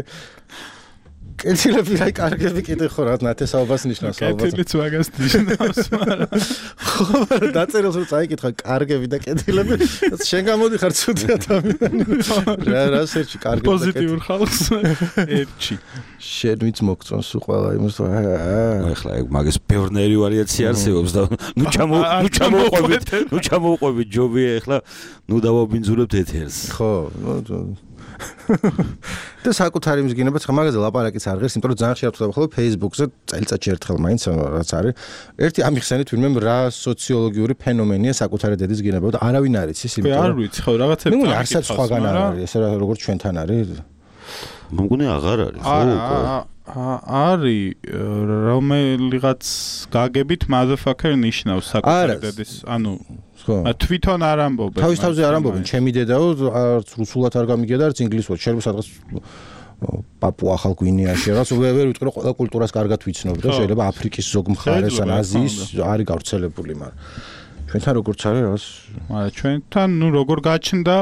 კეთილები რა კარგები კიდე ხო რა ნათესაობას ნიშნავს ალბათ კეთილიც მაგას ნიშნავს მაგრამ ხო დაწერილს რომ წაიკითხა კარგები და კეთილები შენ გამოდიხარ ცუდი ადამიანი რა რა სერჩი კარგები და პოზიტიურ ხალხს ერჩი შენ ვიც მოგწონს ყველა იმას ახლა ეგ მაგის ბევრნაირი ვარიაცია არსებობს და ნუ ჩამო ნუ ჩამოყვებით ნუ ჩამოყვებით ჯობია ახლა ნუ დავაბინძურებთ ეთერს ხო და საკუთარი იმის გინება ცხა მაგაზე ლაპარაკიც არ ღირს, იმიტომ რომ ძალიან ხშირად ვხვდება ხოლმე Facebook-ზე წელიწადში ერთხელ მაინც რაც არის. ერთი ამიხსენით ვინმე რა სოციოლოგიური ფენომენია საკუთარი დედის გინება და არავინ არ იცის, იმიტომ რომ არ ვიცი ხო რაღაცები მე არცაც სხვაგან არ არის, ესე როგორც ჩვენთან არის. მგონი აღარ არის ხო? არის რომელიღაც გაგებით motherfucker ნიშნავს საკუთარი დედის, ანუ თვითონ არ ამბობენ. თავის თავზე არ ამბობენ, ჩემი დედაო, არც რუსულად არ გამიგია და არც ინგლისურად. შეიძლება სადღაც პაპუა ახალ გვინეაში, რაღაც ვერ ვიტყვი რომ ყველა კულტურას კარგად ვიცნობ და შეიძლება აფრიკის ზოგ მხარეს ან აზიის არის გავრცელებული, მაგრამ ჩვენთან როგორც არის რაღაც მაგრამ ჩვენთან ნუ როგორ გაჩნდა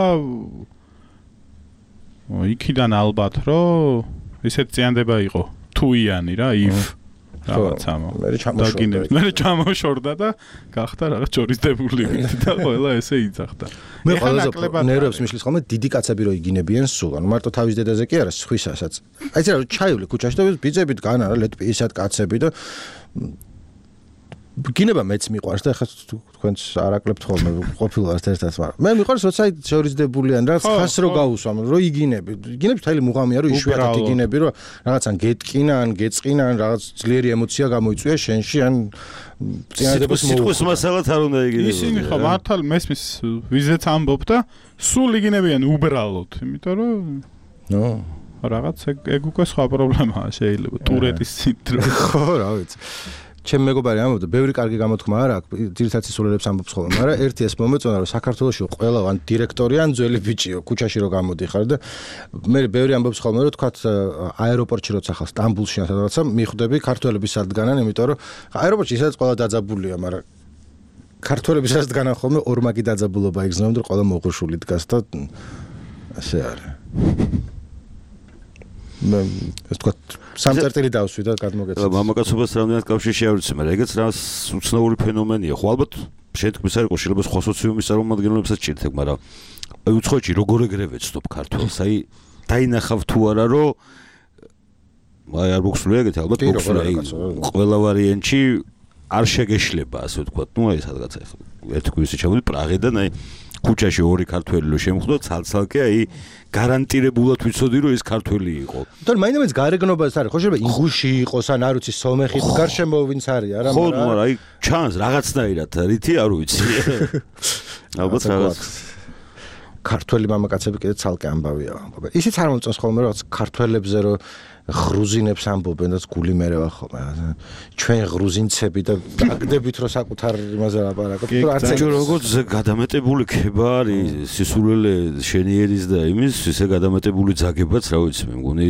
იქიდან ალბათ რომ ისეთ წიანდება იყო თუიანი რა if რაღაცამო მე ჩამოშორდა მე ჩამოშორდა და გახდა რაღაც ჯორისდებული და ყველა ესე იძახდა მე ყველაზე ნერვებს მიშლის ხოლმე დიდი კაცები რო იგინებიან სულ ანუ მარტო თავის დედაზე კი არა სხვისასაც აი ეს რა ჩაივლი ქუჩაში და ბიძებით გან არა ლეტპისად კაცები და გინება მეც მიყვარს და ხა თქვენც არაკლებთ ხოლმე ყოფილვართ ერთად მაგრამ მე მიყვარს როცა შორისდებულიან რა ხას რო გაუსვამ რო იგინები იგინებს თელი მუღამია რო იშვიათად იგინები რო რაღაცან გეტკინა ან გეწყინა ან რაღაც ძლიერი ემოცია გამოიწვია შენში ან წინადებას სიტყვის მასალად არ უნდა იგინებოდეს ისინი ხო მართალ მესმის ვიზეც ამბობ და სულ იგინებიან უბრალოდ იმიტომ რომ ნო რაღაც ეგ უკვე სხვა პრობლემაა შეიძლება ტურეტის სინდრომი ხო რა ვიცი ჩემ მეგობარი ამბობდა, ბევრი კარგი გამოთქმა არ აქვს, ძირითადად სისულელებს ამბობს ხოლმე, მაგრამ ერთი ეს მომეწონა, რომ საქართველოში ყველა ან დირექტორი ან ძველი ბიჭიო, ქუჩაში რო გამოდიხარ და მე ბევრი ამბობს ხოლმე, რომ თქვათ აეროპორტში როცა ხარ სტამბულში ან სადღაცა მიხვდები ქართველები სად დგანან, იმიტომ რომ აეროპორტში ისაც ყველა დაძაბულია, მაგრამ ქართველები სად დგანან ხოლმე ორმაგი დაძაბულობა იგრძნობა და ყველა მოღრშული დგას და ასე არის. მე ეს თქვა სამწერტილი დავსვი და გადმოგეცეთ. მამაკაცობას რამდენად კავშირში არ ვიცი, მაგრამ ეგეც რა უცნაური ფენომენია. ხო ალბათ შეთქმის არ იყო, შეიძლება სხვა სოციუმის წარმომადგენლებსაც ჭირდება, მაგრამ აი უცხოეთში როგორ ეგრე ვეცნობ ქართულს, აი დაინახავ თუ არა რომ აი არ მოგსულია ეგეთი ალბათ მოგსულია. ყველა ვარიანტში არ შეგეშლება, ასე ვთქვათ. ნუ აი სადღაც ახლა ერთი კვირაში ჩავდი პრაღიდან, აი ქუჩაში ორი ქართველი რო შემხვდა, ცალ-ცალკე აი გარანტირებულად ვიცოდი რომ ეს ქართველი იყო. თორე მაინც გარეგნობას არის, ხო შეიძლება ინგუში იყოს ან არ ვიცი სომეხის გარშემო ვინც არის, არა მაგრამ ხო, მაგრამ აი ჩანს რაღაცნაირად, რითი არ ვიცი. ალბათ რაღაც ქართველი მამაკაცები კიდე ცალკე ამბავია. ისიც არ მომწონს ხოლმე რაღაც ქართველებზე რომ ღრუზინებს ამბობენ და გული მერევა ხოლმე. ჩვენ ღრუზინცები და დაგდებით რომ საკუთარ იმაზე ლაპარაკობთ, რომ არც ეს როგორც გადამეტებული ქება არის სისულელე შენიერის და იმის, ისე გადამეტებული ძაგებაც, რა ვიცი, მე მგონი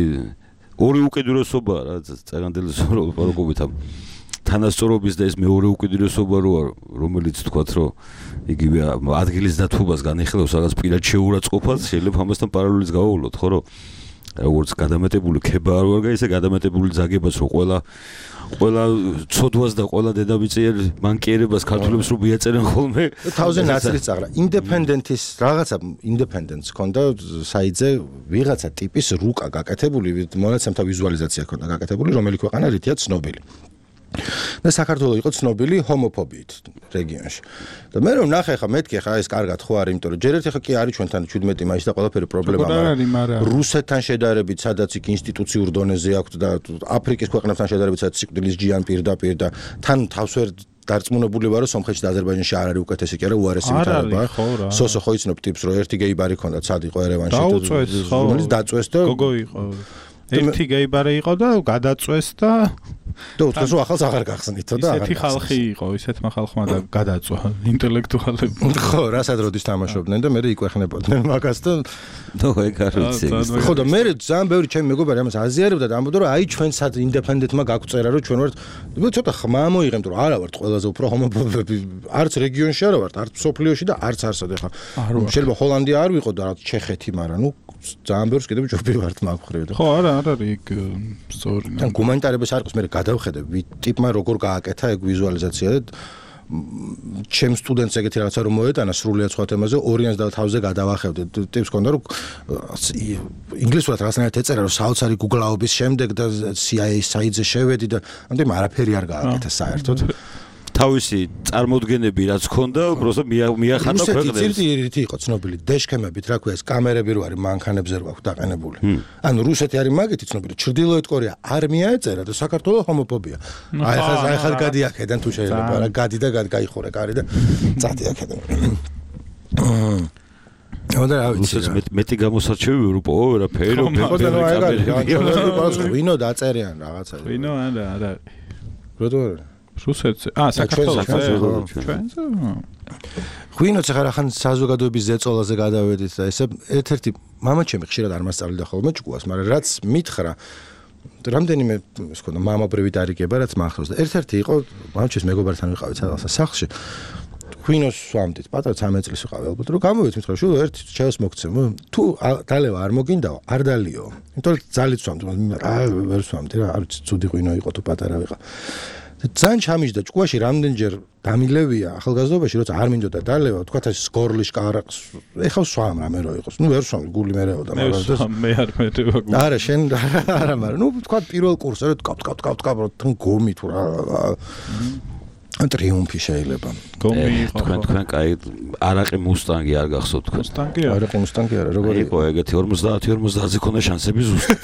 ორი უკიდურესობა რა, წეგანდელი ლაპარაკობით ამ თანასწორობის და ეს მეორე უკიდურესობა რო რომელიც თქვათ რომ იგივე ადგილის დათბობას განიხილავს რაღაც პირად შეურაცხყოფას, შეიძლება ამასთან პარალელიც გავავლოთ, ხო რომ როგორც გადამეტებული ქება არ ვარ, ისე გადამეტებული ზაგებაც რომ ყველა ყველა ცოდვას და ყველა დედამიწიერ მანკიერებას ქართულებს რო მიაწერენ ხოლმე. თავზე ნაწილის წაღრა. ინდეპენდენტის რაღაცა ინდეპენდენტს ქონდა საიძე ვიღაცა ტიპის რუკა გაკეთებული, მონაცემთა ვიზუალიზაცია ქონდა გაკეთებული, რომელი ქვეყანა რითია ცნობილი. და საქართველოს იყო ცნობილი ჰომოფობიით რეგიონში. და მე რომ ნახე ხა მეთქი ხა ეს კარგად ხო არის, იმიტომ რომ ჯერ ერთი ხა კი არის ჩვენთან შვიდმეტი მაისი და ყველაფერი პრობლემა, მაგრამ რუსეთთან შედარებით, სადაც იქ ინსტიტუციურ დონეზე აქვს და აფრიკის ქვეყნებთან შედარებით, სადაც სიკვდილის ჯიან პირდაპირ და თან თავს ვერ დარწმუნებული ვარო სომხეთში და აზერბაიჯანში არ არის უკეთესი კი არა უარესი ვითარება. სოსო ხო იცნობ ტიპს რომ ერთი გეიბარი ქონდა, ცად იყო ერევანში და რომელიც დაწვეს და გოგო იყო. ერთი გეიბარი იყო და გადაწვეს და და უცხოს ახალს აღარ გახსნითო და ისეთი ხალხი იყო, ისეთმა ხალხმა და გადაწვა ინტელექტუალები. ხო, რასაც როდის თამაშობდნენ და მე იკვეხნებოდნენ მაგას და ნუ ეგ არ ვიცი. ხო და მე ძალიან ბევრი ჩემი მეგობარი ამას აზიარებდა და ამბობდა რომ აი ჩვენ სად ინდეპენდენტმა გაგვწერა რომ ჩვენ ვართ ცოტა ხმა მოიღებთ რომ არა ვართ ყველაზე უფრო ჰომოფობები არც რეგიონში არა ვართ, არც სოფლიოში და არც არსად ეხა. შეიძლება ჰოლანდია არ ვიყო და რა ჩეხეთი, მაგრამ ნუ ძალიან ბევრს კიდევ ჯობი ვართ მაგ ხრივ და ხო არა არ არის იქ სწორი. თან გუმანიტარებას არ ყავს მე გადავხედე ტიპმა როგორ გააკეთა ეგ ვიზუალიზაცია და ჩემ სტუდენტს ეგეთი რაღაცა რომ მოეტანა სრულიად სხვა თემაზე ორიანს და თავზე გადავახევდე ტიპს ქონდა რომ ინგლისურად რაღაცნაირად ეწერა რომ საოცარი გუგლაობის შემდეგ და სი აი ეს საიტზე შევედი და ამდენ არაფერი არ გააკეთა საერთოდ თავისი წარმოდგენები რაც ქონდა, უბრალოდ მიახატა ქვეყნებს. რუსეთი რითი იყო ცნობილი? დეშქემებით, რა ქვია, ეს კამერები რო არის მანქანებზე რო აქვს დაყენებული. ანუ რუსეთი არის მაგეთი ცნობილი, ჩრდილოეთ კორეა არ მიაეწერა და საქართველოს ჰომოფობია. აი ხა აი ხა გადი აქედან თუ შეიძლება, რა გადი და გაიხურე კარი და წადი აქედან. ოდა რა ვიცი რა. მეტი გამოსარჩევი ევროპო, ვერაფერი, ვერაფერი. ვინო დაწერიან რაღაცა. ვინო არა, არა. როდო რუსეთზე. აა, საქართველოსზე. ჩვენზე? ღვინოც ახლა ხან საზოგადოების ზეწოლაზე გადავედით და ესე ერთ-ერთი მამაჩემი ხშირად არ მასწავლიდა ხოლმე ჭკუას, მაგრამ რაც მითხრა რამდენიმე ის ქონდა მამაბრივი დარიგება, რაც მახსოვს და ერთ-ერთი იყო მამაჩემის მეგობართან ვიყავით სადღაც სახლში. ღვინოს სვამდით, პატარა ცამეტ წლის ვიყავი ალბათ, რომ გამოვით მითხრა, შულო ერთ ჩაოს მოგცემო, თუ დალევა არ მოგინდაო, არ დალიო. იმიტომ რომ ძალით სვამდი, რა ვერ სვამდი რა, არ ვიცი, ცუდი ღვინო იყო თუ პატარა ვიყავ. ძალიან ჩამიჯდა ჭკუაში რამდენჯერ დამილევია ახალგაზრდობაში, როცა არ მინდოდა დალევა, თქვათ ეს გორლის კარაკს, ეხავს სვამ რამე რო იყოს. ნუ ვერ სვამ, გული მერეოდა, მაგრამ მე არ მერევა გული. არა, შენ არა, მაგრამ ნუ თქვათ პირველ კურსზე რო ткап ткап ткап ткап რო თან გომი თუ რა. ტრიუმფი შეიძლება. გომი იყო. თქვენ თქვენ კაი არაყი მუსტანგი არ გახსოვთ თქვენ. მუსტანგი არა. არაყი მუსტანგი არა, როგორ იყო ეგეთი ორმოცდაათი ორმოცდაათზე ქონდა შანსები ზუსტად.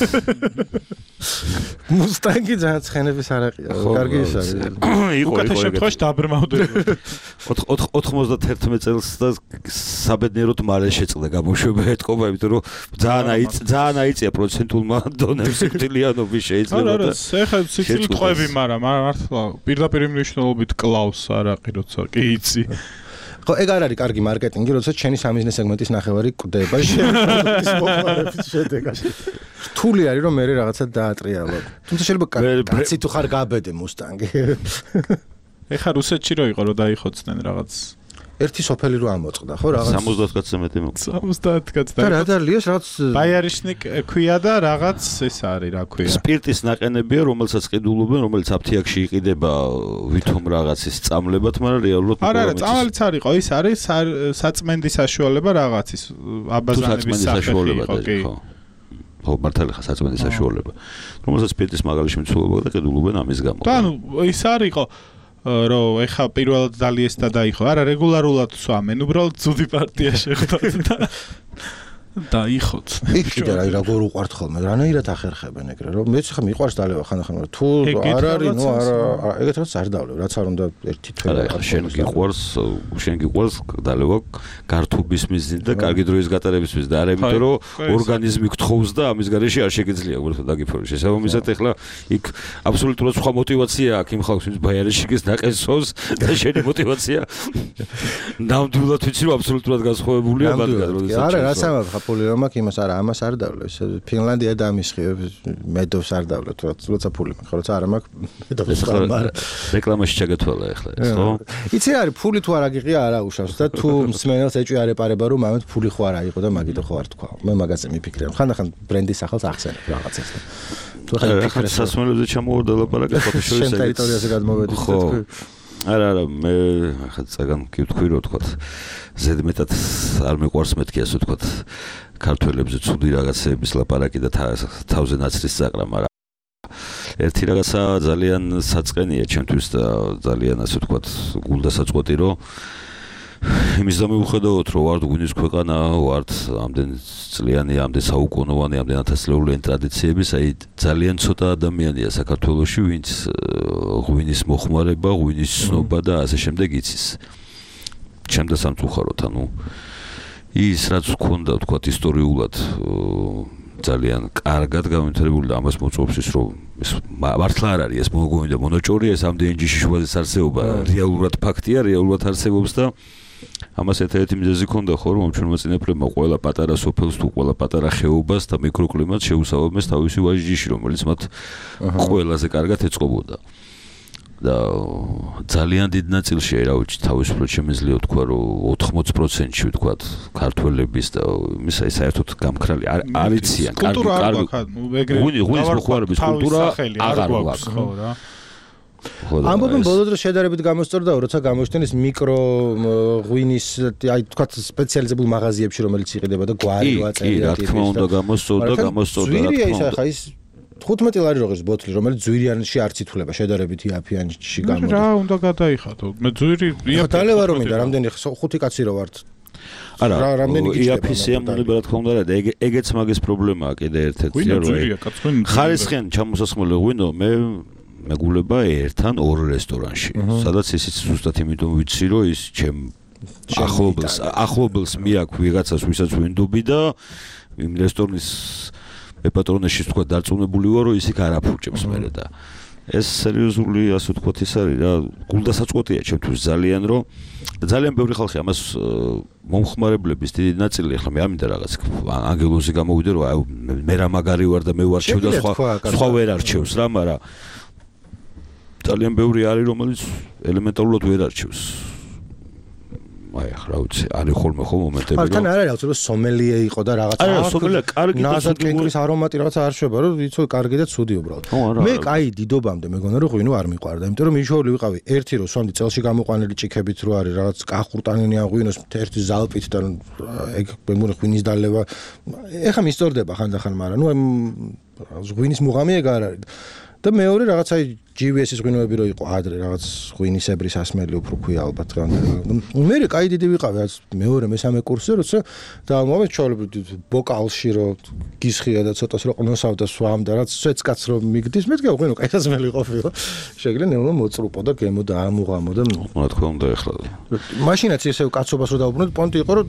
მუსტანგი ძალიან ცხენების არაყია. კარგი ის არის. იყო უკეთ შემთხვევაში დაბრმავდება. ოთხმოცდათერთმეტ წელს და საბედნიეროდ მალე შეწყდა გამოშვება ეთყობა, იმიტომ რომ ძალიან აიწ ძალიან აიწია პროცენტულმა დონემ სიკვდილიანობის შეიძლება და ეხლა სიკვდილი ტყვევი, მაგრამ მართლა პირდაპირ მნიშვნელობით კლავს არაყი როცა კი იცი. ხო, ეგ არ არის კარგი მარკეტინგი, როდესაც ჩენი სამიზნე სეგმენტის ნახევარი კვდება შემოდის მომხმარების შედეგაში. რთული არის რომ მე რაღაცა დაატრიალო. თუმცა შეიძლება კაცი თუ ხარ გაბედე მუსტანგი. ეხლა რუსეთში რო იყო რომ დაიხოცდნენ რაღაც ერთი სოფელი რო ამოწყდა, ხო, რაღაც სამოცდაათ კაცზე მეტი მოკ. სამოცდაათ კაცს და რა დალიოს რაღაც ბაიარიშნიკ ქვია და რაღაც ეს არის, რა ქვია. სპირტის ნაყენებია, რომელსაც ყიდულობენ, რომელიც აფთიაქში იყიდება ვითომ რაღაცის წამლებად, მაგრამ რეალურად არა, არა, წამალიც არ იყო, ის არის საწმენდის საშუალება რაღაცის აბაზანების საშუალება ხო. ხო, მართალი ხა საწმენდის საშუალება. რომელსაც სპირტის მაგალითში მიცულობა და ყიდულობენ ამის გამო. და ანუ ის არ იყო რომ ეხა პირველად დალიეს და დაიხო. არა, რეგულარულად სვამენ, უბრალოდ ძუდი პარტია შეხვდათ და დაიხოც. იქ კიდე რა როგორ უყვართ ხოლმე, რანაირად ახერხებენ ეგრე, რომ მეც ხა მიყვარს დალევა ხანდახან, მაგრამ თუ არ არის, ნუ არა, ეგეთ რაც არ დავლევ, რაც არ უნდა ერთი თვე. არა, შენ გიყვარს, შენ გიყვარს დალევა გართობის მიზნით და კარგი დროის გატარების მიზნით და არა იმიტომ რომ ორგანიზმი გთხოვს და ამის გარეშე არ შეგიძლია უბრალოდ დაგიფორე. შესაბამისად ეხლა იქ აბსოლუტურად სხვა мотиваცია აქვს იმ ხალხის ბაიარიშიკის ნაყენსოს და შენი мотиваცია ნამდვილად ვიცი რომ აბსოლუტურად განსხვავებულია მათგან, როდესაც არა, რა სამართლა ახლა ფული რომ აქვს, იმას არა, ამას არ დავლევ. ფინლანდია დამისხიო, მედოვს არ დავლევ, როცა ფული მაქვს, როცა არა მაქვს, მედოვს არ მაქვს. რეკლამაში ჩაგეთვალა ახლა ეს, ხო? იცი არის, ფული თუ არ აგიღია, არა უშავს და თუ მსმენელს ეჭვი არ ეპარება, რომ ამით ფული ხო არ აიღო და მაგითო ხო არ თქვა. მე მაგაზე მიფიქრებ. ხანდახან ბრენდის სახელს ახსენებ რაღაცას და თუ ახლა ფიქრე სასმელებზე ჩამოვარდა ლაპარაკი ფოტოშოპში შენ ტერიტორიაზე გადმოვედი ხო არა არა მე ახლა წაგან გითქვი რომ თქვა ზედმეტად არ მეყვარს მეთქი ასე თქვა ქართველებზე ცუდი რაღაცების ლაპარაკი და თავზე ნაცრის წაყრა მაგრამ ერთი რაღაცა ძალიან საწყენია ჩემთვის და ძალიან ასე თქვა გულდასაწყვეტი რომ იმის და მიუხედავად რომ ვართ გვინის ქვეყანა ვართ ამდენ წლიანი ამდენ საუკუნოვანი ამდენ ათასწლეულიანი ტრადიციების აი ძალიან ცოტა ადამიანია საქართველოში ვინც ღვინის მოხმარება ღვინის ცნობა და ასე შემდეგ იცის ჩემ და სამწუხაროდ ანუ ის რაც გქონდა თქვა ისტორიულად ძალიან კარგად გამონთებული და ამას მოწვევს ის რომ ეს მართლა არ არის ეს მოგონდა მონოჭორია ეს ამდენ ჯიში შუაზე არსებობა რეალურად ფაქტია რეალურად არსებობს და ამას ერთ-ერთი მიზეზი ქონდა ხო რომ ჩვენ მოწინებლებმა ყველა პატარა სოფელს თუ ყველა პატარა ხეობას და მიკროკლიმატს შეუსაბამეს თავისი ვაჟიში რომელიც მათ ყველაზე კარგად ეწყობოდა და ძალიან დიდ ნაწილში აი რა ვიცი თავისუფლად შემიძლია თქვა რომ ოთხმოცი პროცენტში ვთქვა ქართველების და იმის აი საერთოდ გამქრალი არიციან კარგი კარგი ღვინის მოხმარების კულტურა აღარ აქვს ხო რა ამბობენ ბოლო დროს შედარებით გამოსწორდა როცა გამოჩნდეს მიკრო ღვინის აი თქვა სპეციალიზებულ მაღაზიებში რომელიც იყიდება და გვარი კი ვაწერია რა თქმა უნდა გამოსწორდა გამოსწორდა რა თქმა უნდა ახლა ის თხუთმეტი ლარი როგორც ბოთლი რომელიც ძვირიანში არ ცითულება შედარებით იაფიანში გამოდის რა უნდა გადაიხადო მე ძვირი იაფი დალევა რომ მინდა რამდენი ხუთი კაცი რო ვართ არა იაფისი ამონება რა თქმა უნდა და ეგეც მაგის პრობლემაა კიდე ერთ-ერთი რომ ხარისხიან ჩამოსასხმელი ღვინო მე მეგულება ერთთან ორ რესტორანში სადაც ისიც ზუსტად იმიტომ ვიცი რომ ის ჩემ ახლობელს ახლობელს მიაქვს ვიღაცას ვისაც ვინდობი და იმ რესტორნის ეპატრონეში თქვა დარწმუნებული ვარ რომ ის იქ არ აფურჭებს მერე და ეს სერიოზული ასე ვთქვათ ის არის რა გულდასაწყვეტია ჩემთვის ძალიან რომ ძალიან ბევრი ხალხი ამას მომხმარებლების დიდი ნაწილი ახლა მე ამინდა რაღაც ანგელოზი გამოვიდე რომ აი მე რა მაგარი ვარ და მე ვარჩევ და სხვა სხვა ვერ არჩევს რა მაგრამ ძალიან ბევრი არის რომელიც ელემენტარულად ვერ არჩევს აი ახლა ვიცი არის ხოლმე ხო მომენტები რომ თან არ არის აუცილებლად სომელიე იყო და რაღაცა არა სომელიე კარგი და ნაზაკენკრის არომატი რაღაცა არ შვება რომ იცო კარგი და ცუდი უბრალოდ მე კაი დიდობამდე მეგონა რომ ღვინო არ მიყვარდა იმიტომ რომ მიშოვლი ვიყავი ერთი რო სვამდი წელში გამოყვანილი ჭიქებით რო არის რაღაც კახურტანინიან ღვინოს ერთი ზალპით და ეგ მეგონა ღვინის დალევა ეხა მისწორდება ხანდახან მაგრამ ნუ ღვინის მუღამი ეგ არ არის და მეორე რაღაცა ჯი ვი ეს-ის ღვინოები რო იყო ადრე რაღაც ღვინისებრი სასმელი უფრო ქვია ალბათ მე კაი დიდი ვიყავი მეორე მესამე კურსზე როცა და მომენტ ჩავლებდი ბოკალში რო გისხია და ცოტას რო ყნოსავდა სვამდა რაც სვეცკაც რო მიგდის მეთქე ღვინო კაი სასმელი ყოფილა შეგლენ ნეულო მოწრუპო და გემო და ამუღამო და რა თქმა უნდა ეხლა მაშინაც ესე კაცობას რო დაუბრუნოთ პონტი იყო რომ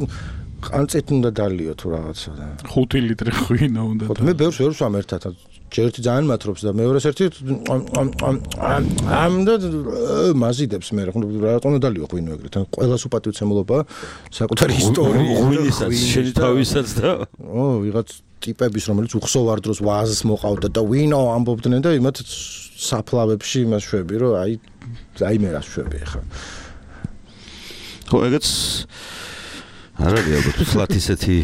ყანწით უნდა დალიო თუ რაღაცა და ხუთი ლიტრი ღვინო უნდა და მე ბევრს ვერ ვსვამ ერთად ჯერთი ძალიან მათრობს და მეორეს ერთი ამ და მაზიდებს მე რა თქმა უნდა დალიო ღვინო ეგრეთ ან ყველას უპატივცემულობა საკუთარი ისტორია ღვინისაც შენი თავისაც და ო ვიღაც ტიპების რომელიც უხსოვარ დროს ვაზს მოყავდა და ვინო ამბობდნენ და იმათ საფლავებში იმას შვები რომ აი აი მე რა შვები ახლა ხო ეგეც არ არის ალბათ ფლათ ისეთი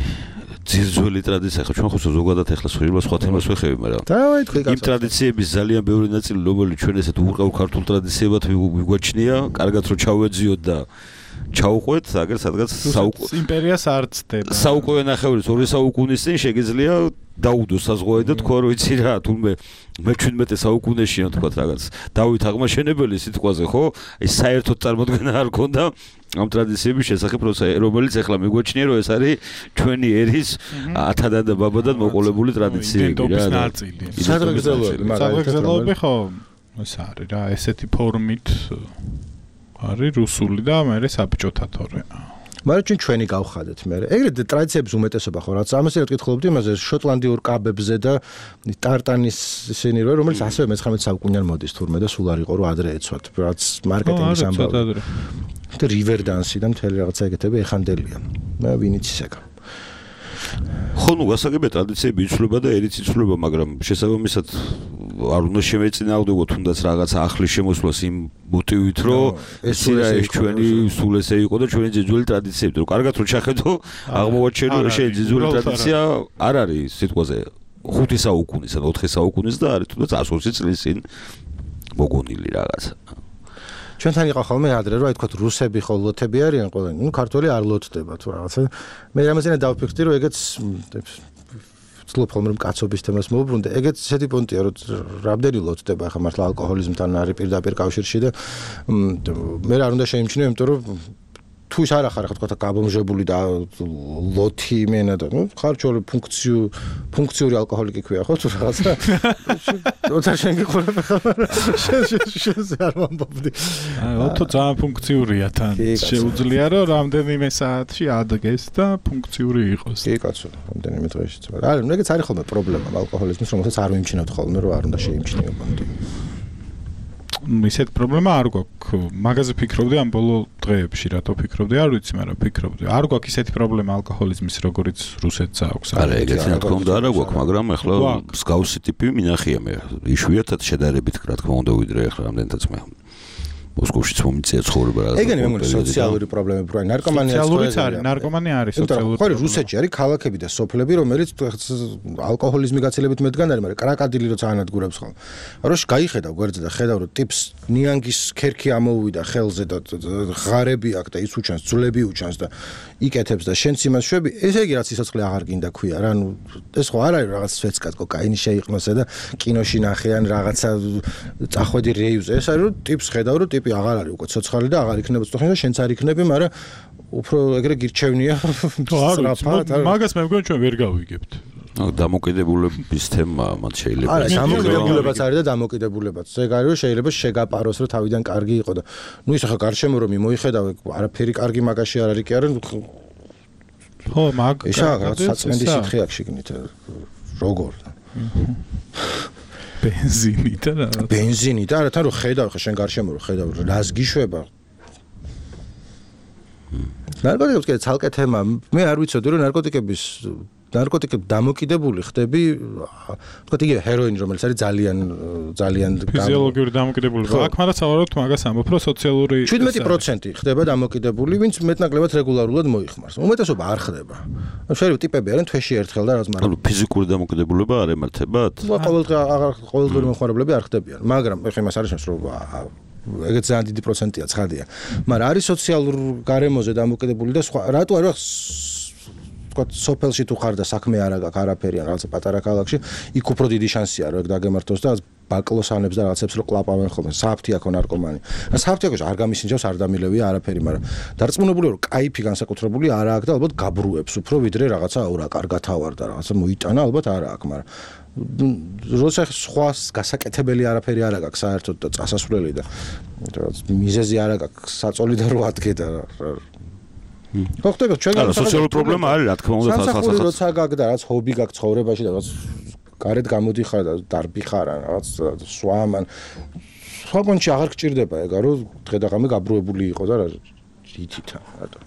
ძირძველი ტრადიცია ხო ჩვენ ხო ზოგადად ახლა სხვა სხვა თემას ვეხები მაგრამ დავაი თქვი კაცო იმ ტრადიციების ძალიან ბევრი ნაწილი რომელიც ჩვენ ესეთ უყრავ ქართულ ტრადიციებად ვიგვაჩნია კარგად რომ ჩავეძიოთ და ჩაუყვეთ აგერ სადღაც საუკუნე იმპერიას არ ცდება საუკუნე ნახევრის ორი საუკუნის წინ შეგიძლია დაუდო საზღვარი და თქვა რომ იცი რა თუმე მეჩვიდმეტე საუკუნეშია თქვა რაღაც დავით აღმაშენებელი სიტყვაზე ხო ეს საერთოდ წარმოქმნა არ ქონდა ამ ტრადიციების შესახებ რომელიც ახლა მიგვაჩნია რომ ეს არის ჩვენი ერის ათადან და ბაბადან მოყოლებული ტრადიციები რა სადღეგრძელოები მაგალითად ხო ეს არის რა ესეთი ფორმით არის რუსული და მე საბჭოთა თორე მაგრამ ჩვენ ჩვენი გავხადეთ მე ეგრეთ ტრადიციების უმეტესობა ხო რაც ამას ერთ კითხულობდი იმაზე შოტლანდიურ კაბებზე და ტარტანის ისინი რომელიც ასევე მეცხრამეტე საუკუნიდან მოდის თურმე და სულ არ იყო რომ ადრე ეცვათ რაც მარკეტინგის ამბავი და რივერ დანსი და მთელი რაღაცა ეგეთები ეხანდელია მე ვინიც ისეკა ხო, ნუ გასაგებია ტრადიციები იცვლება და ერიც იცვლება, მაგრამ შესაბამისად არ უნდა შემეწინააღმდეგოთ თუნდაც რაღაცა ახლის შემოსვლას იმ მოტივით, რომ ეს ის ჩვენი სულ ესე იყო და ჩვენი ძიძველი ტრადიციები, რომ კარგად რომ ჩახედო, აღმოვაჩენო შენ ძიძველი ტრადიცია არ არის სიტყვაზე ხუთი საუკუნის ან ოთხი საუკუნის და არის თუნდაც ათი წლის წინ მოგონილი რაღაცა. ჩვენთან იყო ხოლმე ადრე რომ აი თქვა რუსები ხო ლოთები არიან ყველანი, ნუ ქართველი არ ლოთდება თუ რაღაცა. მე რამაზენა დავფიქრდი რომ ეგეც ვცდილობ ხოლმე რომ კაცობის თემას მოვუბრუნდე, ეგეც ისეთი პონტია რომ რამდენი ლოთდება ახლა მართლა ალკოჰოლიზმთან არის პირდაპირ კავშირში და მე არ უნდა შეიმჩნიო, იმიტომ რომ თუ ის არ ახარ ხო თქვა გაბომჟებული და ლოთი იმენა და ნუ ხარჯული ფუნქციუ ფუნქციური ალკოჰოლიკი ქვია ხო თუ რაღაცა როცა შენ გიყურებ ახლა შენ არ მომბობდი ათო ძალიან ფუნქციურია თან შეუძლია რომ რამდენიმე საათში ადგეს და ფუნქციური იყოს კი კაცო რამდენიმე დღეში არა ეგეც არის ხოლმე პრობლემა ალკოჰოლიზმის რომელსაც არ ვიმჩნევთ ხოლმე რომ არ უნდა შეიმჩნიო პონტი ისეთ პრობლემა არ გვაქვს. მაგაზე ფიქრობდი ამ ბოლო დღეებში, რატო ფიქრობდი, არ ვიცი, მაგრამ ფიქრობდი. არ გვაქვს ისეთი პრობლემა ალკოჰოლიზმის, როგორც რუსეთს აქვს. არა, ეგეთი რა თქმა უნდა არ გვაქვს, მაგრამ ეხლა მსგავსი ტიპი მინახია მე. იშვიათად შედარებით, რა თქმა უნდა, ვიდრე ეხლა რამდენადაც მე. მოსკოვშიც მომიწია ცხოვრება რაღაც. ეგენი მე მგონი სოციალური პრობლემები, რა ნარკომანია სოციალური არის, ნარკომანია არის სოციალური. ხო, რუსეთში არის ქალაქები და სოფლები, რომელიც ალკოჰოლიზმი გაცილებით მეტგან არის, მაგრამ კრაკადილი როცა ანადგურებს ხოლმე. როშ გაიხედავ გვერდზე და ხედავ რომ ტიპს ნიანგის ქერქი ამოუვიდა ხელზე და ღარები აქვს და ის უჩანს, ძვლები უჩანს და იკეთებს და შენც იმას შვები, ესე იგი რაც სიცოცხლე აღარ გინდა ქვია რა, ნუ ეს ხო არ არის რაღაც სვეცკად კოკაინი შეიყნოსა და კინოში ნახიან რაღაცა წახვედი რეივზე. ეს არის რომ ტიპს ხედავ რომ ტიპი აღარ არის უკვე ცოცხალი და აღარ იქნება ცოცხალი და შენც არ იქნები, მაგრამ უფრო ეგრე გირჩევნია. მაგას მე მგონი ჩვენ ვერ გავიგებთ. დამოკიდებულების თემა მათ შეიძლება. არა, დამოკიდებულებაც არის და დამოკიდებულებაც. ეგ არის რომ შეიძლება შეგაპაროს რომ თავიდან კარგი იყო და ნუ ის ახლა გარშემო რომ მოიხედავ, არაფერი კარგი მაგაში არ არის კი არა. ხო, მაგ ისა რაღაც საწმენდი სითხე აქვს შიგნით. როგორ? ბენზინი და რა. ბენზინი და არა თან რომ ხედავ ხა შენ გარშემო რომ ხედავ რას გიშვება. ნარკოტიკებს კიდე ცალკე თემა. მე არ ვიცოდი რომ ნარკოტიკების ნარკოტიკები დამოკიდებული ხდები, თქვა იგივე ჰეროინი რომელიც არის ძალიან ძალიან ფიზიოლოგიური დამოკიდებულება. აქ მაგრამ სავარაუდოდ მაგას ამბობ რომ სოციალური შვიდმეტი პროცენტი ხდება დამოკიდებული, ვინც მეტნაკლებად რეგულარულად მოიხმარს. უმეტესობა არ ხდება. შეიძლება ტიპები არიან თვეში ერთხელ და რაღაც მაგრამ ფიზიკური დამოკიდებულება არ ემართებათ? ყოველდღე აღარ ყოველდღიური მომხმარებლები არ ხდებიან, მაგრამ ეხლა იმას არის რომ ეგეც ძალიან დიდი პროცენტია, ცხადია. მაგრამ არის სოციალურ გარემოზე დამოკიდებული და სხვა. რატო არის თქვა სოფელში თუ ხარ და საქმე არ აქვს არაფერი ან რაღაცა პატარა ქალაქში, იქ უფრო დიდი შანსია რომ ეგ დაგემართოს და ბაკლოსანებს და რაღაცებს რო კლაპავენ ხოლმე. საფთი აქ ნარკომანი. ან საფთი აქ არ გამისინჯავს, არ დამილევია არაფერი, მაგრამ დარწმუნებული რომ კაიფი განსაკუთრებული არ აქვს და ალბათ გაბრუებს უფრო ვიდრე რაღაცა აურა კარგათავარ და რაღაცა მოიტანა, ალბათ არ აქვს, მაგრამ როცა სხვა გასაკეთებელი არაფერი არ აქვს საერთოდ და წასასვლელი და რაღაც მიზეზი არ აქვს საწოლი და რო ადგე და ხო ხდება ჩვენ არა სოციალური პრობლემა არის რა თქმა უნდა სახალხო როცა გაქვს და რაღაც ჰობი გაქვს ცხოვრებაში და რაღაც გარეთ გამოდიხარ და დარბი ხარ ან რაღაც სვამან სხვა კონჩი აღარ გჭირდება ეგა რომ დღე და ღამე გაბრუებული იყო და რა ითითა რატო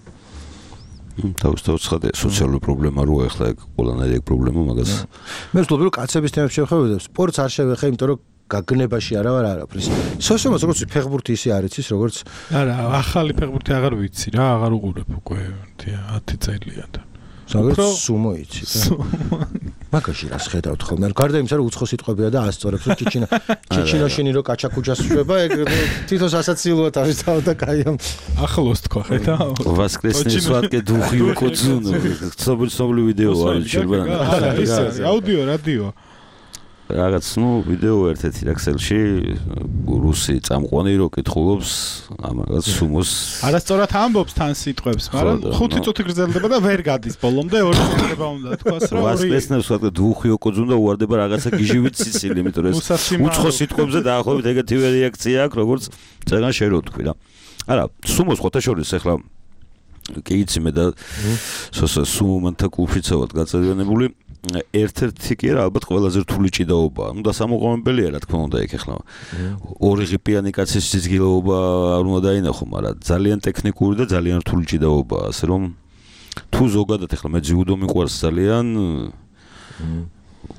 თავისთავად ხარ სოციალური პრობლემა რო ახლა ეგ ყველანაირი ეგ პრობლემა მაგას მე ვთქვი რომ კაცების თემებს შევხედავ სპორტს არ შევეხე იმიტომ რომ გაგნებაში არა ვარ არაფრის. სოციუმას როგორც ფეხბურთი ისე არ იცის როგორც არა, ახალი ფეხბურთი აღარ ვიცი რა, აღარ უყურებ უკვე ათი წელია და. როგორც სუმო იცი. მაგაში რას ხედავთ ხოლმე? გარდა იმისა რომ უცხო სიტყვებია და ასწორებს რომ ჩიჩინა ჩიჩინოშინი რო კაჩაკუჯას შვება, ეგ თვითონ ასაცილოა თავისთავად და კაიამ. ახლოს თქვა ხედა. ვასკრესნი სვატკე დუხი უკოძუნ. ცნობილი ვიდეო არის შეიძლება. არა, ისე აუდიო, რადიო. რაღაც ნუ ვიდეო ერთ-ერთი რაქსელში რუსი წამყვანი რო კითხულობს ამას სუმოს არასწორად ამბობს თან სიტყვებს, მაგრამ ხუთი წუთი გრძელდება და ვერ გადის ბოლომდე ორი წუთება უნდა თქვას რომ ორი ვასკრესნებს ვთქვათ დუხი უკოძუნ და უარდება რაღაცა გიჟივით სიცილი, იმიტომ რომ უცხო სიტყვებზე დაახლოებით ეგეთივე რეაქცია აქვს, როგორც წეგან შენ რო თქვი რა. არა, სუმოს ხოთაშორის ახლა კი იცი მე და სუმომანთა კლუბშიც ვარ გაწევრიანებული ერთ-ერთი კი არა ალბათ ყველაზე რთული ჭიდაობაა. ნუ დასამოყომებელია რა თქმა უნდა იქ ახლა. ორი ღიპიანი კაცის სიზგილეობა არ უნდა დაინახო, მაგრამ ძალიან ტექნიკური და ძალიან რთული ჭიდაობაა, ასე რომ თუ ზოგადად ახლა მე ძიუდო მიყვარს ძალიან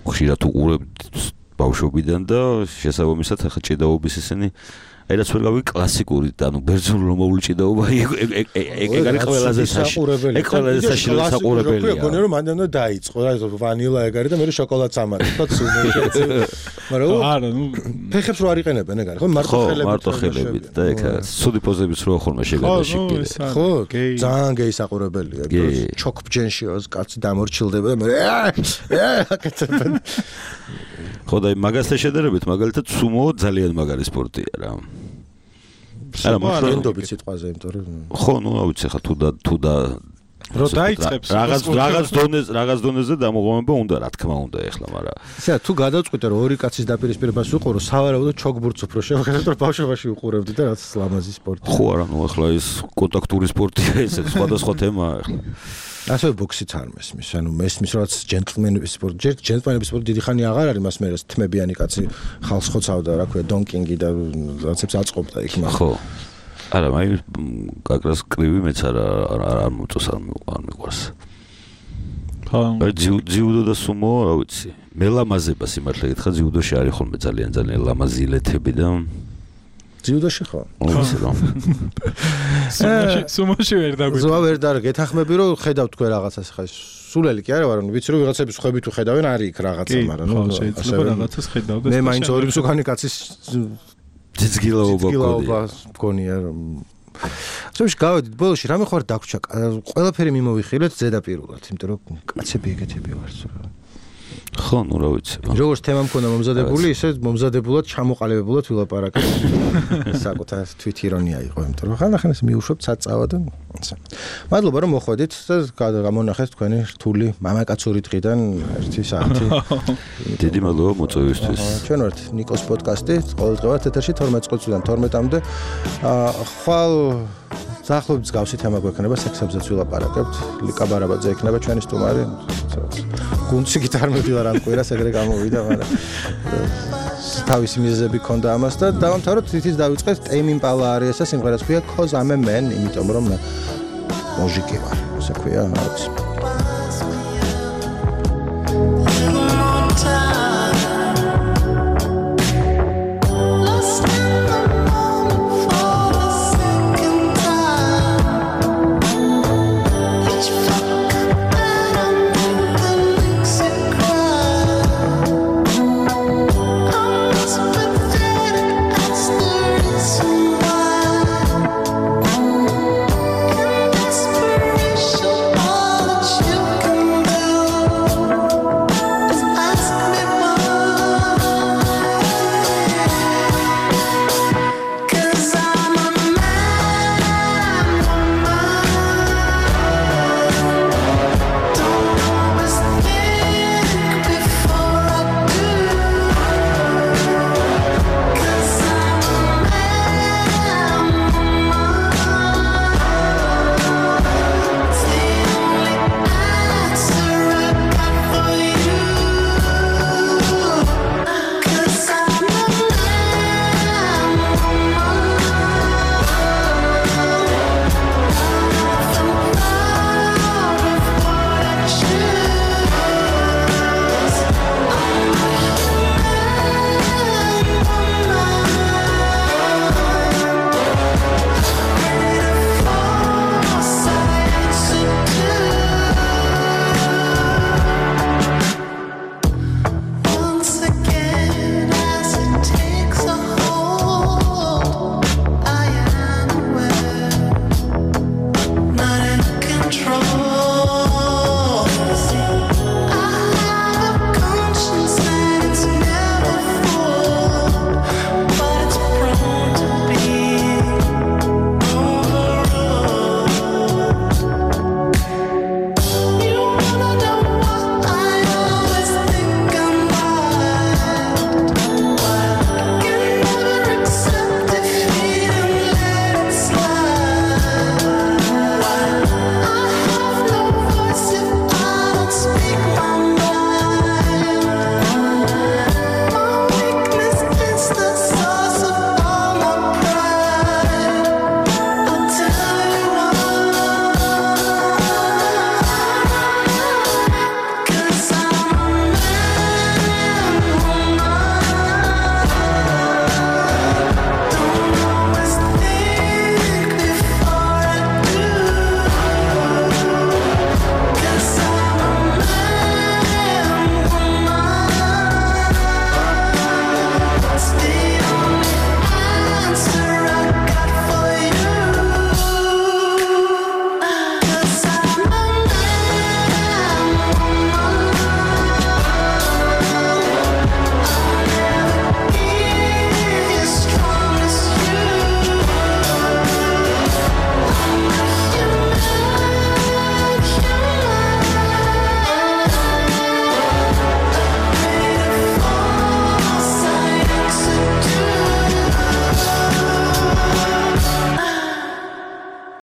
ხშირად უყურებ ბავშვობიდან და შესაბამისად ახლა ჭიდაობის ისინი აი რაც ვერ გავი კლასიკური ანუ ბერძნული რომ მოვლჭიდაობა ეგ არის ყველაზე საშუალებელი ეგ ყველაზე საშუალებელი საყურებელია გონია რომ მანდ უნდა დაიწყო რა ვანილა ეგ არის და მე შოკოლადს ამარი თქვა სულ მაგრამ არა ნუ ფეხებს რო არიყენებენ ეგ არის ხო მარტო ხელებით მარტო ხელებით და ეგ სუდი პოზების რო ხოლმე შეგადაში ხო ძალიან გეი საყურებელია ჩოქბჯენშიოს კაცი დამორჩილდება და მე აკეთებენ ხო და მაგასთან შედარებით მაგალითად სუმო ძალიან მაგარი სპორტია რა არა მოხდობთ სიტყვაზე იმიტომ რომ ხო ნუ ავიცი ხა თუ და თუ და რო დაიწყებს რაღაც რაღაც დონეზე რაღაც დონეზე დამოღმება უნდა რა თქმა უნდა ეხლა მაგრამ ისე თუ გადავწყვიტე რომ ორი კაცის დაპირისპირებას ვუყურო სავარაუდოდ ჩოგბურთს უფრო შევხედოთ რომ ბავშვობაში ვუყურებდი და რაც ლამაზი სპორტი ხო არა ნუ ეხლა ის კონტაქტური სპორტია ესე სხვადასხვა თემაა ეხლა ასე ბოქსიც არ მესმის ანუ მესმის რაც ჯენტლმენების სპორტი ჯერ ჯენტლმენების სპორტი დიდი ხანი აღარ არის მას მე რა თმებიანი კაცი ხალხს ხოცავდა რა ქვია დონკინგი და რაცებს აწყობდა იქ მაგრამ ხო არა მაი კაკრას კრივი მეც არა არ მოწოს არ მიყვარს ხო ძიუდო და სუმო რა ვიცი მელამაზება სიმართლე გითხრა ძიუდოში არის ხოლმე ძალიან ძალიან ლამაზი ილეთები და ძიუდოში ხო ვიცი რომ სუმოში სუმოში ვერ დაგვიწყო ზოა ვერ და გეთახმები რომ ხედავ თქვენ რაღაცას ხა სულელი კი არა ვარ ვიცი რომ ვიღაცების ხვები თუ ხედავენ არის იქ რაღაცა მაგრამ ნუ შეიძლება რაღაცას ხედავდეს მე მაინც ორი მსუქანი კაცის ძიძგილაობა გონია რომ სულში გავედით ბოლოში რამე ხარ დაგვრჩა ყველაფერი მიმოვიხილეთ ზედაპირულად იმიტომ რომ კაცები ეგეთები ვართ ხო ნუ რა ვიცი როგორც თემა მქონდა მომზადებული ისე მომზადებულად ჩამოყალიბებულად ვილაპარაკეთ საკუთარ თვით ირონია იყო იმიტომ რომ ხანახან ეს მიუშვებთ საწავა და ასე მადლობა რომ მოხვედით და გამონახეთ თქვენი რთული მამაკაცური დღიდან ერთი საათი დიდი მადლობა მოწვევისთვის ჩვენ ვართ ნიკოს პოდკასტი ყოველდღიურად ეთერში თორმეტ წუთიდან თორმეტამდე ხვალ ზახლობის გავსი თემა გვექნება სექსებზეც ვილაპარაკებთ ლიკა ბარაბაძე ექნება ჩვენი სტუმარი გუნდში გიტარმები ვარ ამ კვირას ეგრე გამოვიდა მაგრამ თავისი მიზეზები ქონდა ამას და დავამთავროთ თითის დავიწყეთ ტეიმ იმპალა არის ეს სიმღერაც ქვია cause I'm a man იმიტომ რომ მე მოჟიკი ვარ ასე ქვია რა ვიცი